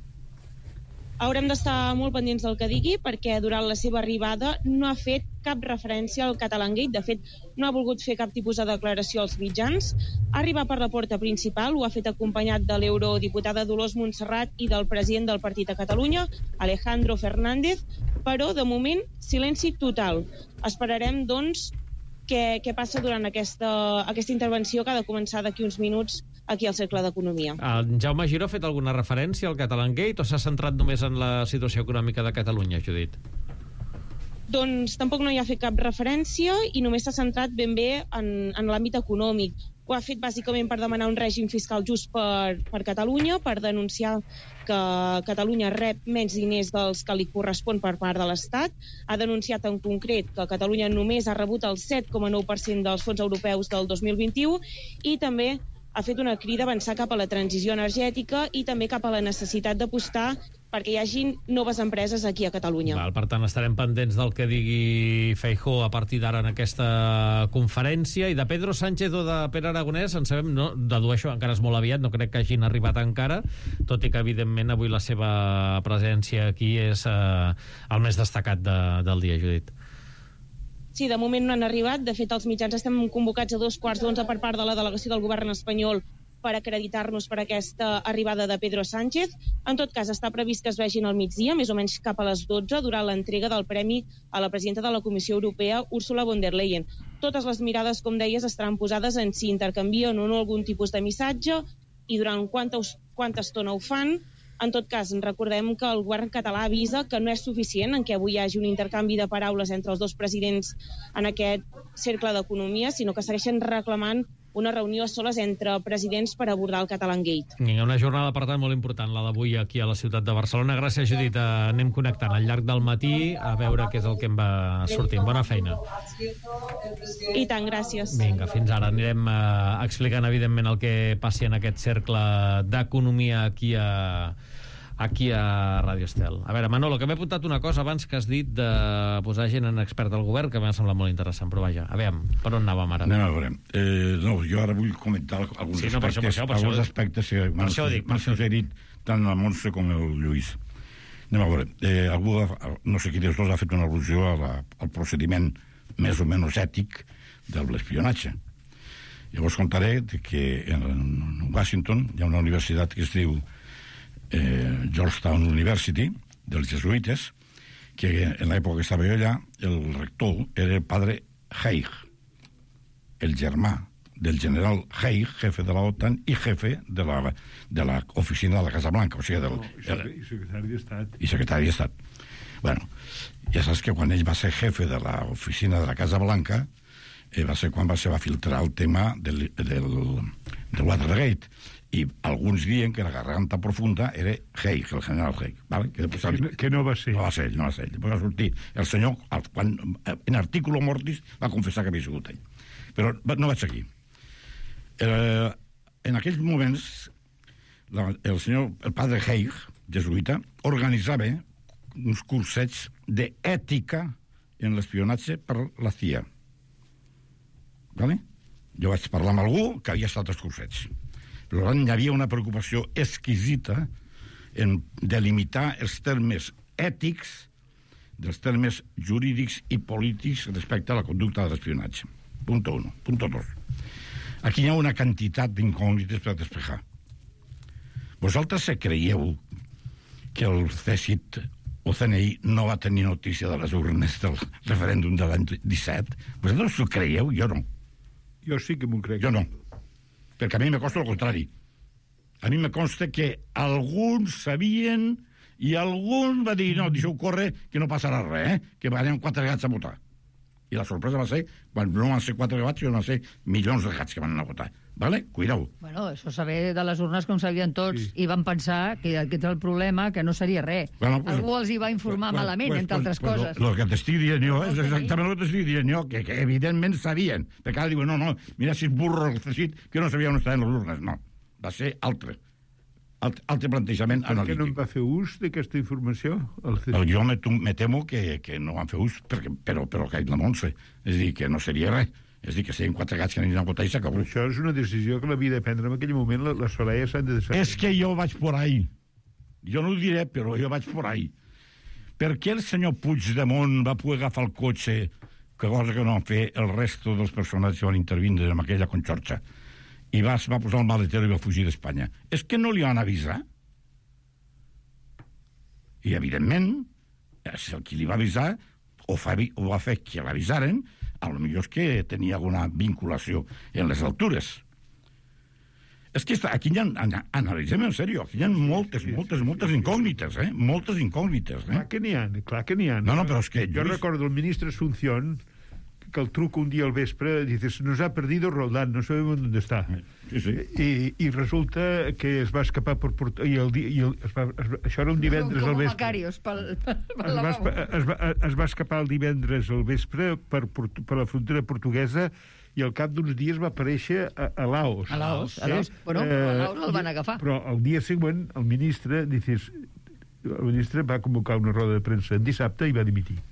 Haurem d'estar molt pendents del que digui, perquè durant la seva arribada no ha fet cap referència al Catalangate. De fet, no ha volgut fer cap tipus de declaració als mitjans. Ha arribat per la porta principal, ho ha fet acompanyat de l'eurodiputada Dolors Montserrat i del president del Partit a Catalunya, Alejandro Fernández, però, de moment, silenci total. Esperarem, doncs, què passa durant aquesta intervenció que ha de començar d'aquí uns minuts aquí al Cercle d'Economia. Jaume Giró ha fet alguna referència al Catalangate o s'ha centrat només en la situació econòmica de Catalunya, Judit? Doncs tampoc no hi ha fet cap referència i només s'ha centrat ben bé en l'àmbit econòmic. Ho ha fet bàsicament per demanar un règim fiscal just per Catalunya, per denunciar que Catalunya rep menys diners dels que li correspon per part de l'Estat. Ha denunciat en concret que Catalunya només ha rebut el 7,9% dels fons europeus del 2021 i també ha fet una crida a avançar cap a la transició energètica i també cap a la necessitat d'apostar perquè hi hagin noves empreses aquí a Catalunya. Per tant, estarem pendents del que digui Feijóo a partir d'ara en aquesta conferència. I de Pedro Sánchez o de Pere Aragonès, en sabem, no, dedueixo, encara és molt aviat, no crec que hagin arribat encara, tot i que, evidentment, avui la seva presència aquí és el més destacat del dia, Judit. Sí, de moment no han arribat. De fet, els mitjans estem convocats a 11:15 per part de la delegació del govern espanyol per acreditar-nos per aquesta arribada de Pedro Sánchez. En tot cas, està previst que es vegin al migdia, més o menys cap a les 12, durant l'entrega del premi a la presidenta de la Comissió Europea, Ursula von der Leyen. Totes les mirades, com deies, estaran posades en si intercanvien o no algun tipus de missatge i durant quanta estona ho fan. En tot cas, recordem que el govern català avisa que no és suficient en què avui hi hagi un intercanvi de paraules entre els dos presidents en aquest cercle d'economia, sinó que segueixen reclamant una reunió a soles entre presidents per abordar el Catalangate. Una jornada, per tant, molt important, la d'avui aquí a la ciutat de Barcelona. Gràcies, Judit. Anem connectant al llarg del matí a veure què és el que em va sortint. Bona feina. I tant, gràcies. Vinga, fins ara. Anirem explicant, evidentment, el que passi en aquest cercle d'economia aquí a Ràdio Estel. A veure, Manolo, que m'he apuntat una cosa abans que has dit de posar gent en expert del govern, que m'ha semblat molt interessant, però vaja, a veure, per on anàvem ara? Anem a veure. No, jo ara vull comentar alguns aspectes que m'han suggerit tant la Montse com el Lluís. Anem a veure. Algú, no sé qui dels dos, ha fet una al·lusió al procediment més o menys ètic de l'espionatge. Llavors contaré que en Washington hi ha una universitat que es diu Georgetown University, dels jesuïtes, que en l'època que estava jo allà, el rector era el padre Haig, el germà del general Haig, jefe de la OTAN i jefe de la oficina de la Casa Blanca, o sigui, i secretari d'Estat. I secretari d'Estat. Bueno, ja saps que quan ell va ser jefe de l'oficina de la Casa Blanca va ser quan va filtrar el tema del Watergate, i alguns diuen que la garganta profunda era Haig, el general Haig, ¿vale? Que no va ser. No va ser ell. Després va sortir el senyor, quan en artículo mortis va confessar que havia sigut ell. Però no vaig seguir. En aquells moments, el padre Haig, jesuïta, organitzava uns cursets d'ètica en l'espionatge per la CIA. ¿Vale? Jo vaig parlar amb algú que havia estat als cursets. Per tant, hi havia una preocupació exquisita en delimitar els termes ètics dels termes jurídics i polítics respecte a la conducta de l'espionatge. Punto 1. Punto 2. Aquí hi ha una quantitat d'incògnites per despejar. Vosaltres se creieu que el CSIC o CNI no va tenir notícia de les urnes del referèndum de l'any 17? Vosaltres ho creieu? Jo no. Jo sí que m'ho crec. Jo no. Perquè a mi me consta el contrari. A mi me consta que alguns sabien i algun va dir, no, deixeu córrer, que no passarà res, que anirem 4 gats a votar. I la sorpresa va ser, quan no van ser 4 gats, van ser milions de gats que van anar a votar. Vale? Cuideu. Bueno, això saber de les urnes com sabien tots, i van pensar que aquest és el problema, que no seria res. Bueno, pues, algú els hi va informar malament, entre altres coses. Lo que t'estic dient jo, és exactament el que t'estic dient jo, que evidentment sabien. Perquè ara diuen, no, mira si és burro el CSIC, que no sabia on estaven les urnes. No, va ser altre plantejament analític. Per què no en va fer ús d'aquesta informació? Jo me temo que no van fer ús, però que la Montse. És a dir, que no seria res. És a dir, que serien 4 gats que aniran a votar i s'acabó. Això és una decisió que l'havia de prendre en aquell moment, les Sorayes s'han de decidir. És que jo vaig por ahí. Jo no ho diré, però jo vaig por ahí. Per què el senyor Puigdemont va poder agafar el cotxe, que cosa que no van fer el resto dels personatges que van intervindre en aquella conxorxa, i va posar el maletero i va fugir d'Espanya? És que no li van avisar. I, evidentment, el qui li va avisar o va fer que l'avisaren, potser és que tenia alguna vinculació en les altures. És que aquí analitzem en sèrio, aquí hi ha moltes incògnites, moltes incògnites. Clar que n'hi ha. No, però és que... Jo recordo el ministre Asunción, que el truco un día al vespre, dices, nos ha perdido Roldán, no sabemos dónde está. Sí. Y resulta que es va escapar por això era un divendres al vespre. Es va escapar el divendres al vespre per la frontera portuguesa i al cap d'uns dies va aparèixer a Laos. A Laos. Bueno, a Laos el van agafar. Però el dia següent el ministre va convocar una roda de premsa en dissabte i va dimitir.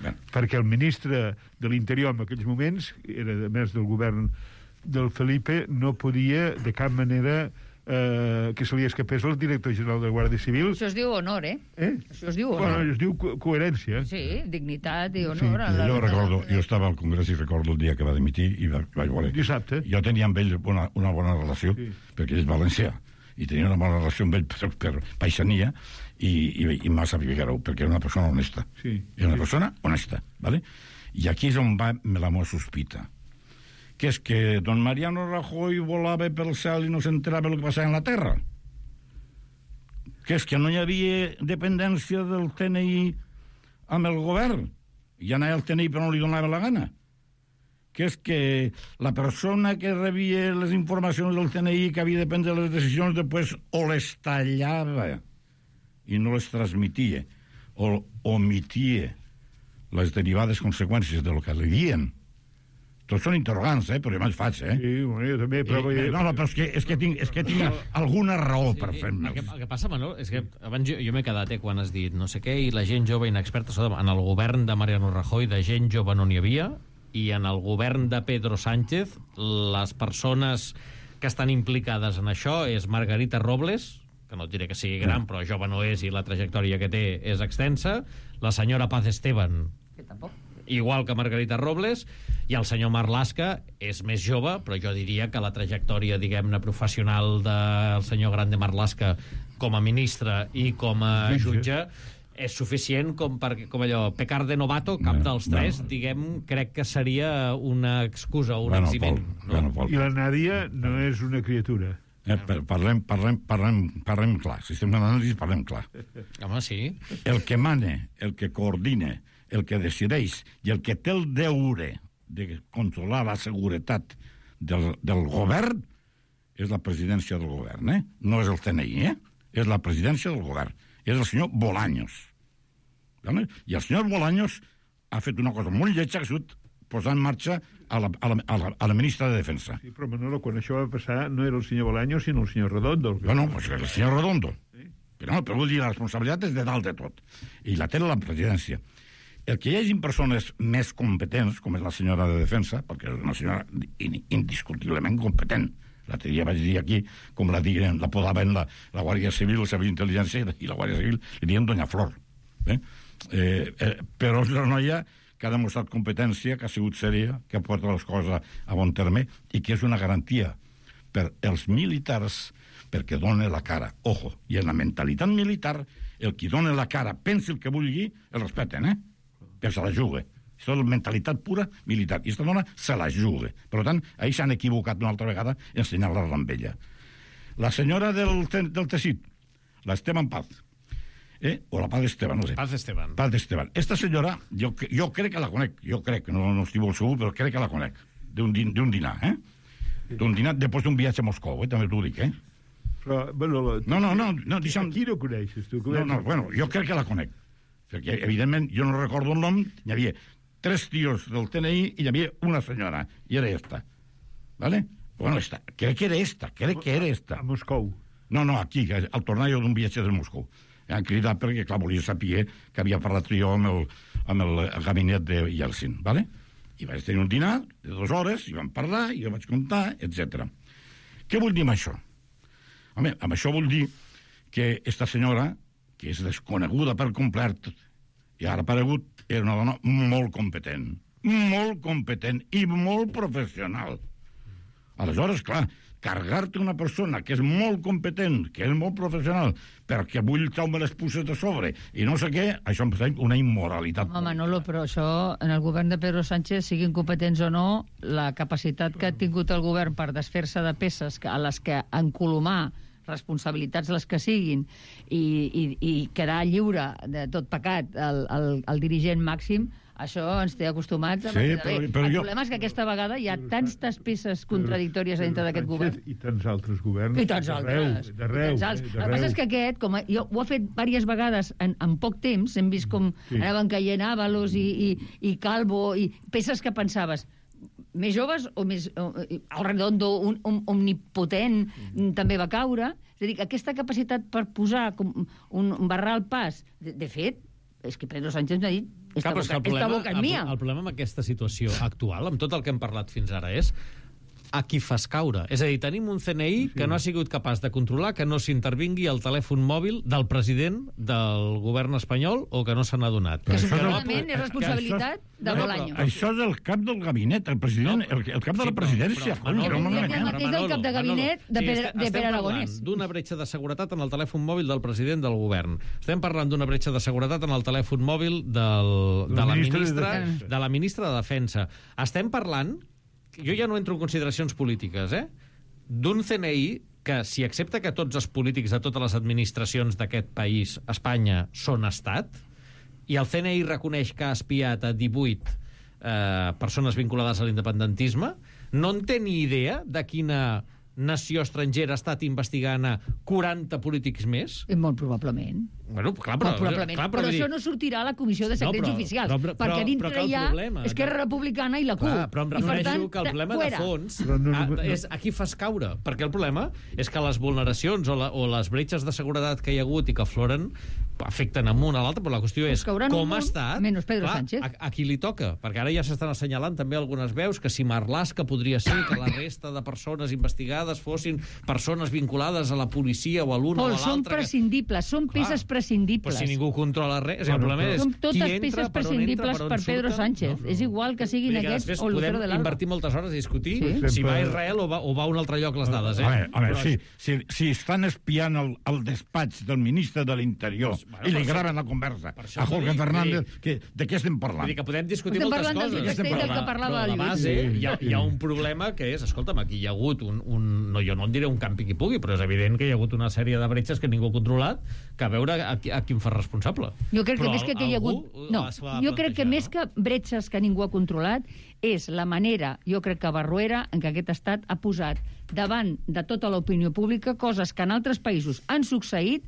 Perquè el ministre de l'Interior en aquells moments, era a més del govern del Felipe, no podia de cap manera que se li escapés el director general de la Guàrdia Civil. Això es diu honor, Això es diu honor. Bueno, es diu coherència. Sí, dignitat i honor. Sí, jo estava al Congrés i recordo el dia que va dimitir i vaig veure. Dissabte. Jo tenia amb ell una bona relació, perquè ell és valencià, i tenia una bona relació amb ell per paisania, i m'ha sabut Figueró, perquè era una persona honesta. Sí. Era una persona honesta, ¿vale? I aquí és on va la meva sospita, que és que don Mariano Rajoy volava pel cel i no s'enterava del que passava en la terra. que és que no hi havia dependència del TNI amb el govern. Ja anava el TNI però no li donava la gana. Que és que la persona que rebia les informacions del TNI que havia de prendre les decisions després o les tallava i no les transmitia o omitia les derivades conseqüències del que li dien. Tots són interrogants, però jo me'ls faig, Sí, bueno, jo també, però... No, però és que tinc alguna raó per fer-me'ls. El que passa, Manol, és que abans jo m'he quedat quan has dit no sé què, i la gent jove inexperta, en el govern de Mariano Rajoy de gent jove no n'hi havia, i en el govern de Pedro Sánchez les persones que estan implicades en això és Margarita Robles, que no et diré que sigui gran, però jove no és i la trajectòria que té és extensa, la senyora Paz Esteban, Que tampoc. igual que Margarita Robles, i el senyor Marlaska és més jove, però jo diria que la trajectòria, diguem-ne, professional del senyor Grande Marlaska com a ministre i com a jutge és suficient com allò, pecar de novato, cap dels tres, diguem, crec que seria una excusa, un eximent. I la Nàdia no és una criatura. Parlem clar. Si estem d'anàlisi, parlem clar. Home, sí. El que mana, el que coordina, el que decideix i el que té el deure de controlar la seguretat del govern és la presidència del govern, No és el CNI, És la presidència del govern. És el senyor Bolaños. I el senyor Bolaños ha fet una cosa molt lletja, que ha sigut posar en marxa a la ministra de Defensa. Sí, però Manolo, quan això va passar no era el senyor Bolaños, sinó el senyor Redondo. Bueno, pues el senyor Redondo. Sí. Però vull dir, la responsabilitat és de dalt de tot. I la té la presidència. El que hi hagi persones més competents, com és la senyora de Defensa, perquè és una senyora indiscutiblement competent. L'altre dia vaig dir aquí, com la podaven la Guàrdia Civil, el Servei d'Intel·ligència i la Guàrdia Civil, li diuen Doña Flor. Però és una noia que ha demostrat competència, que ha sigut sèria, que ha portat les coses a bon terme i que és una garantia per als militars perquè dona la cara. Ojo, i en la mentalitat militar, el qui dona la cara, pensi el que vulgui, el respecten, perquè se la juga. Això és la mentalitat pura militar. I aquesta dona se la juga. Per tant, ahir s'han equivocat una altra vegada ensenyant-la amb ella. La senyora del teixit, l'Esteban Paz, o la Paz Esteban, no sé. Paz Esteban. Paz Esteban. Esta senyora, jo crec que la conec. Jo crec, no estic molt segur, però crec que la conec. D'un dinar, D'un dinar després d'un viatge a Moscou, també t'ho dic, Però, bueno... No, deixa'm... Aquí no coneixes, tu. Bueno, jo crec que la conec. Perquè, evidentment, jo no recordo el nom, hi havia 3 tios del TNI i hi havia una senyora, i era esta. ¿Vale? Bueno, crec que era esta. A Moscou. No, aquí, al tornar jo d'un viatge de Moscou. Han cridat perquè, clar, volia saber que havia parlat jo amb el gabinet de Yeltsin, ¿vale? I vaig tenir un dinar de 2 hores, i vam parlar, i jo vaig contar, etc. Què vull dir amb això? Home, amb això vull dir que esta senyora, que és desconeguda per complet, i ara ha aparegut, era una dona molt competent i molt professional. Aleshores, clar, carregar-te una persona que és molt competent, que és molt professional, perquè vull treure'm les puces de sobre i no sé què, això em sembla una immoralitat. Home, Manolo, però això, en el govern de Pedro Sánchez, siguin competents o no, la capacitat que ha tingut el govern per desfer-se de peces a les que encolomar responsabilitats les que siguin i quedar lliure de tot pecat el dirigent màxim, això ens té acostumats. Sí, però el problema és que aquesta vegada hi ha tantes peces contradictòries dintre d'aquest govern. I tants altres governs. I tants altres. D'arreu. El que passa és que aquest, jo ho ha fet diverses vegades en poc temps, hem vist com anaven caient Ábalos i Calvo, i peces que pensaves més joves o més... El Redondo, un omnipotent, també va caure. És a dir, aquesta capacitat per posar un barrar al pas, de fet, és que Pedro Sánchez m'ha dit esta boca és mia. El problema amb aquesta situació actual, amb tot el que hem parlat fins ara, és a qui fas caure. És a dir, tenim un CNI que no ha sigut capaç de controlar que no s'intervingui el telèfon mòbil del president del govern espanyol o que no se n'ha donat. Que segurament és responsabilitat de Bolaños. Això és el cap del gabinet, el president, el cap de la presidència. El mateix del cap de gabinet de Pere Aragonès. Estem parlant d'una bretxa de seguretat en el telèfon mòbil del president del govern. Estem parlant d'una bretxa de seguretat en el telèfon mòbil de la ministra de Defensa. Estem parlant, jo ja no entro en consideracions polítiques, d'un CNI que si accepta que tots els polítics de totes les administracions d'aquest país, Espanya, són estat, i el CNI reconeix que ha espiat a 18 persones vinculades a l'independentisme, no en té ni idea de quina nació estrangera ha estat investigant a 40 polítics més? Molt probablement. Bueno, clar, però però això no sortirà a la Comissió de Secrets Oficials, perquè dintre hi ha Esquerra Republicana i la CUP. Clar, però em refereixo que el problema de fons és a qui fas caure, perquè el problema és que les vulneracions o les bretxes de seguretat que hi ha hagut i que afloren afecten amunt a l'altre, però la qüestió és com ha estat, menys Pedro Sánchez. A qui li toca, perquè ara ja s'estan assenyalant també algunes veus que si Marlaska podria ser que la resta de persones investigades fossin persones vinculades a la policia o a l'una o a l'altra. Són prescindibles, són peces prescindibles. Però si ningú controla res, el problema és són totes peces prescindibles per Pedro Sánchez. És igual que siguin aquests o Lucero de l'Alba. Podem invertir moltes hores a discutir si va a Israel o va a un altre lloc les dades. Si estan espiant el despatx del ministre de l'Interior i li graven la conversa a Jorge Fernández, de què estem parlant? Vull dir que podem discutir moltes coses. Estem parlant del que parlava la base, hi ha un problema que és, escolta'm, aquí hi ha hagut jo no en diré un campi qui pugui, però és evident que hi ha hagut una sèrie de bretxes que ningú ha controlat, que a veure a qui em fa responsable. Jo crec que més que hi ha hagut... No, jo crec que més que bretxes que ningú ha controlat és la manera, jo crec que barroera, en què aquest estat ha posat davant de tota l'opinió pública coses que en altres països han succeït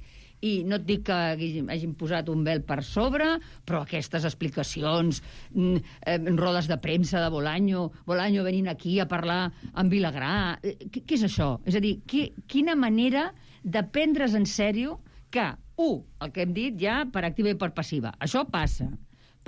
i no et dic que hagin posat un vel per sobre, però aquestes explicacions, rodes de premsa de Bolaño venint aquí a parlar amb Vilagrà... Què és això? És a dir, quina manera de prendre's en sèrio que, el que hem dit ja per activa i per passiva, això passa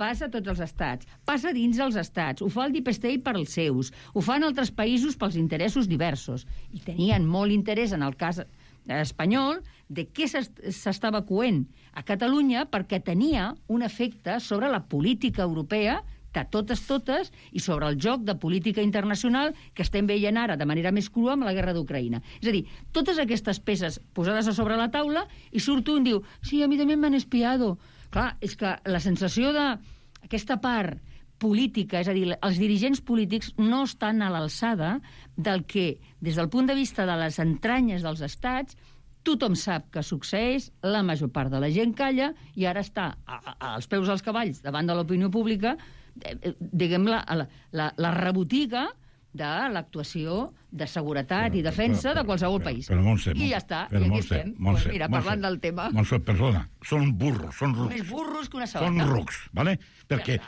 a tots els estats, passa dins els estats, ho fa el Deep State per als seus, ho fan altres països pels interessos diversos, i tenien molt interès en el cas espanyol de què s'estava coent a Catalunya perquè tenia un efecte sobre la política europea de totes i sobre el joc de política internacional que estem veient ara de manera més crua amb la guerra d'Ucraïna. És a dir, totes aquestes peces posades a sobre la taula i surt un i diu, sí, a mi també m'han espiado. Clar, és que la sensació d'aquesta part política, és a dir, els dirigents polítics no estan a l'alçada del que, des del punt de vista de les entranyes dels estats, tothom sap que succeeix, la major part de la gent calla i ara està als peus dels cavalls davant de l'opinió pública, diguem, la rebotiga de l'actuació de seguretat i defensa de qualsevol país. I ja està, i aquí estem. Mira, parlant del tema. Montse, perdona, són burros, són rucs. Més burros que una sabata. Són rucs, ¿vale? Perquè,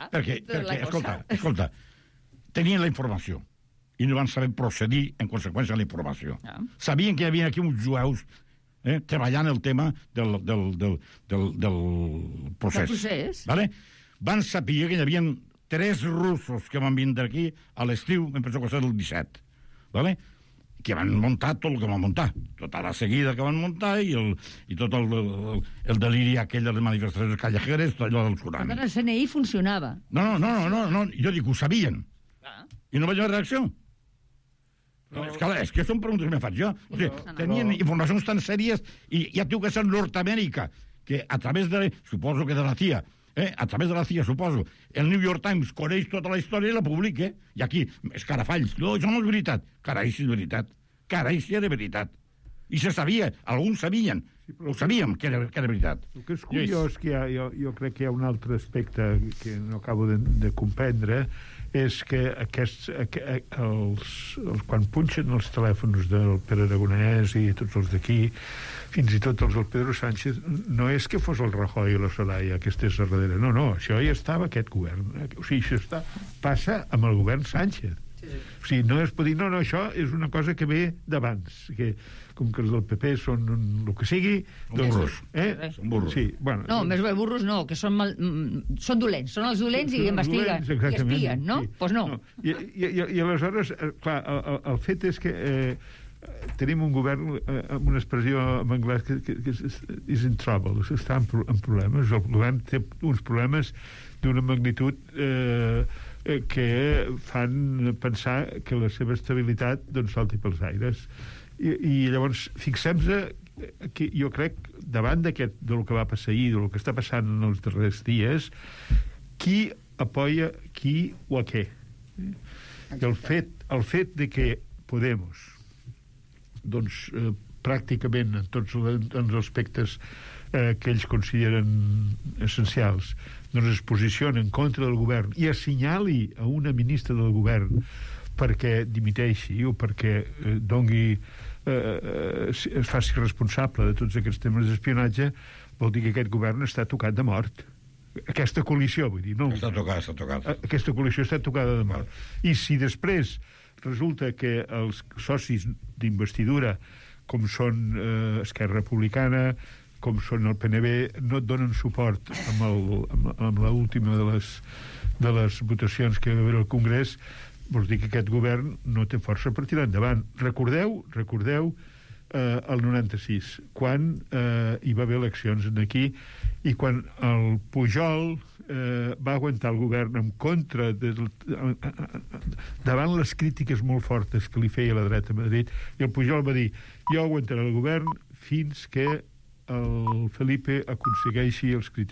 escolta, tenien la informació i no van saber procedir en conseqüència de la informació. Sabien que hi havia aquí uns jueus treballant el tema del procés. ¿Vale? Van saber que hi havia 3 russos que van vindre aquí a l'estiu, em penso que va ser el 17, ¿vale? Que van muntar tot el que van muntar, tota la seguida que van muntar i tot el deliri aquell de les manifestacions callejeres, tot allò del tsunami. Per tant, el CNI funcionava. No, jo dic, ho sabien. I no vaig haver reacció. És que són preguntes que me faig jo. O sigui, tenien informacions tan sèries i ja diu que és Nord-Amèrica, que a través de, suposo que de la CIA, a través de la CIA, suposo, el New York Times coneix tota la història i la publica, i aquí, escarafalls, no, això no és veritat. Carai, si és veritat. Carai, si era veritat. I se sabia, alguns sabien, ho sabíem que era veritat. El que és curiós, que jo crec que hi ha un altre aspecte que no acabo de comprendre, és que quan punxen els telèfons del Pere Aragonès i tots els d'aquí, fins i tot els del Pedro Sánchez, no és que fos el Rajoy o la Soraya que estés a darrere, no, això ja estava aquest govern. O sigui, això passa amb el govern Sánchez. O sigui, no es pot dir, no, això és una cosa que ve d'abans, que com que els del PP són el que sigui... Burros. Són burros. Sí, bueno, no, més bé burros no, que són dolents. Són els dolents i investiguen, i espien, no? Doncs no. I aleshores, clar, el fet és que tenim un govern amb una expressió en anglès que is in trouble, està en problemes. El govern té uns problemes d'una magnitud que fan pensar que la seva estabilitat salti pels aires. I llavors fixem-nos que jo crec davant del que va passar ahir, del que està passant en els darrers dies, qui apoya qui o a què. El fet de que Podemos pràcticament en tots els aspectes que ells consideren essencials, doncs es posiciona en contra del govern i assenyali a una ministra del govern perquè dimiteixi o perquè es faci responsable de tots aquests temes d'espionatge, vol dir que aquest govern està tocat de mort. Aquesta coalició, vull dir, no? Està tocat. Aquesta coalició està tocada de mort. I si després resulta que els socis d'investidura, com són Esquerra Republicana, com són el PNB, no et donen suport amb l'última de les votacions que va haver al Congrés, vols dir que aquest govern no té força per tirar endavant. Recordeu el 96, quan hi va haver eleccions aquí i quan el Pujol va aguantar el govern en contra davant les crítiques molt fortes que li feia la dreta a Madrid, i el Pujol va dir: jo aguantaré el govern fins que el Felipe aconsegueixi els criteris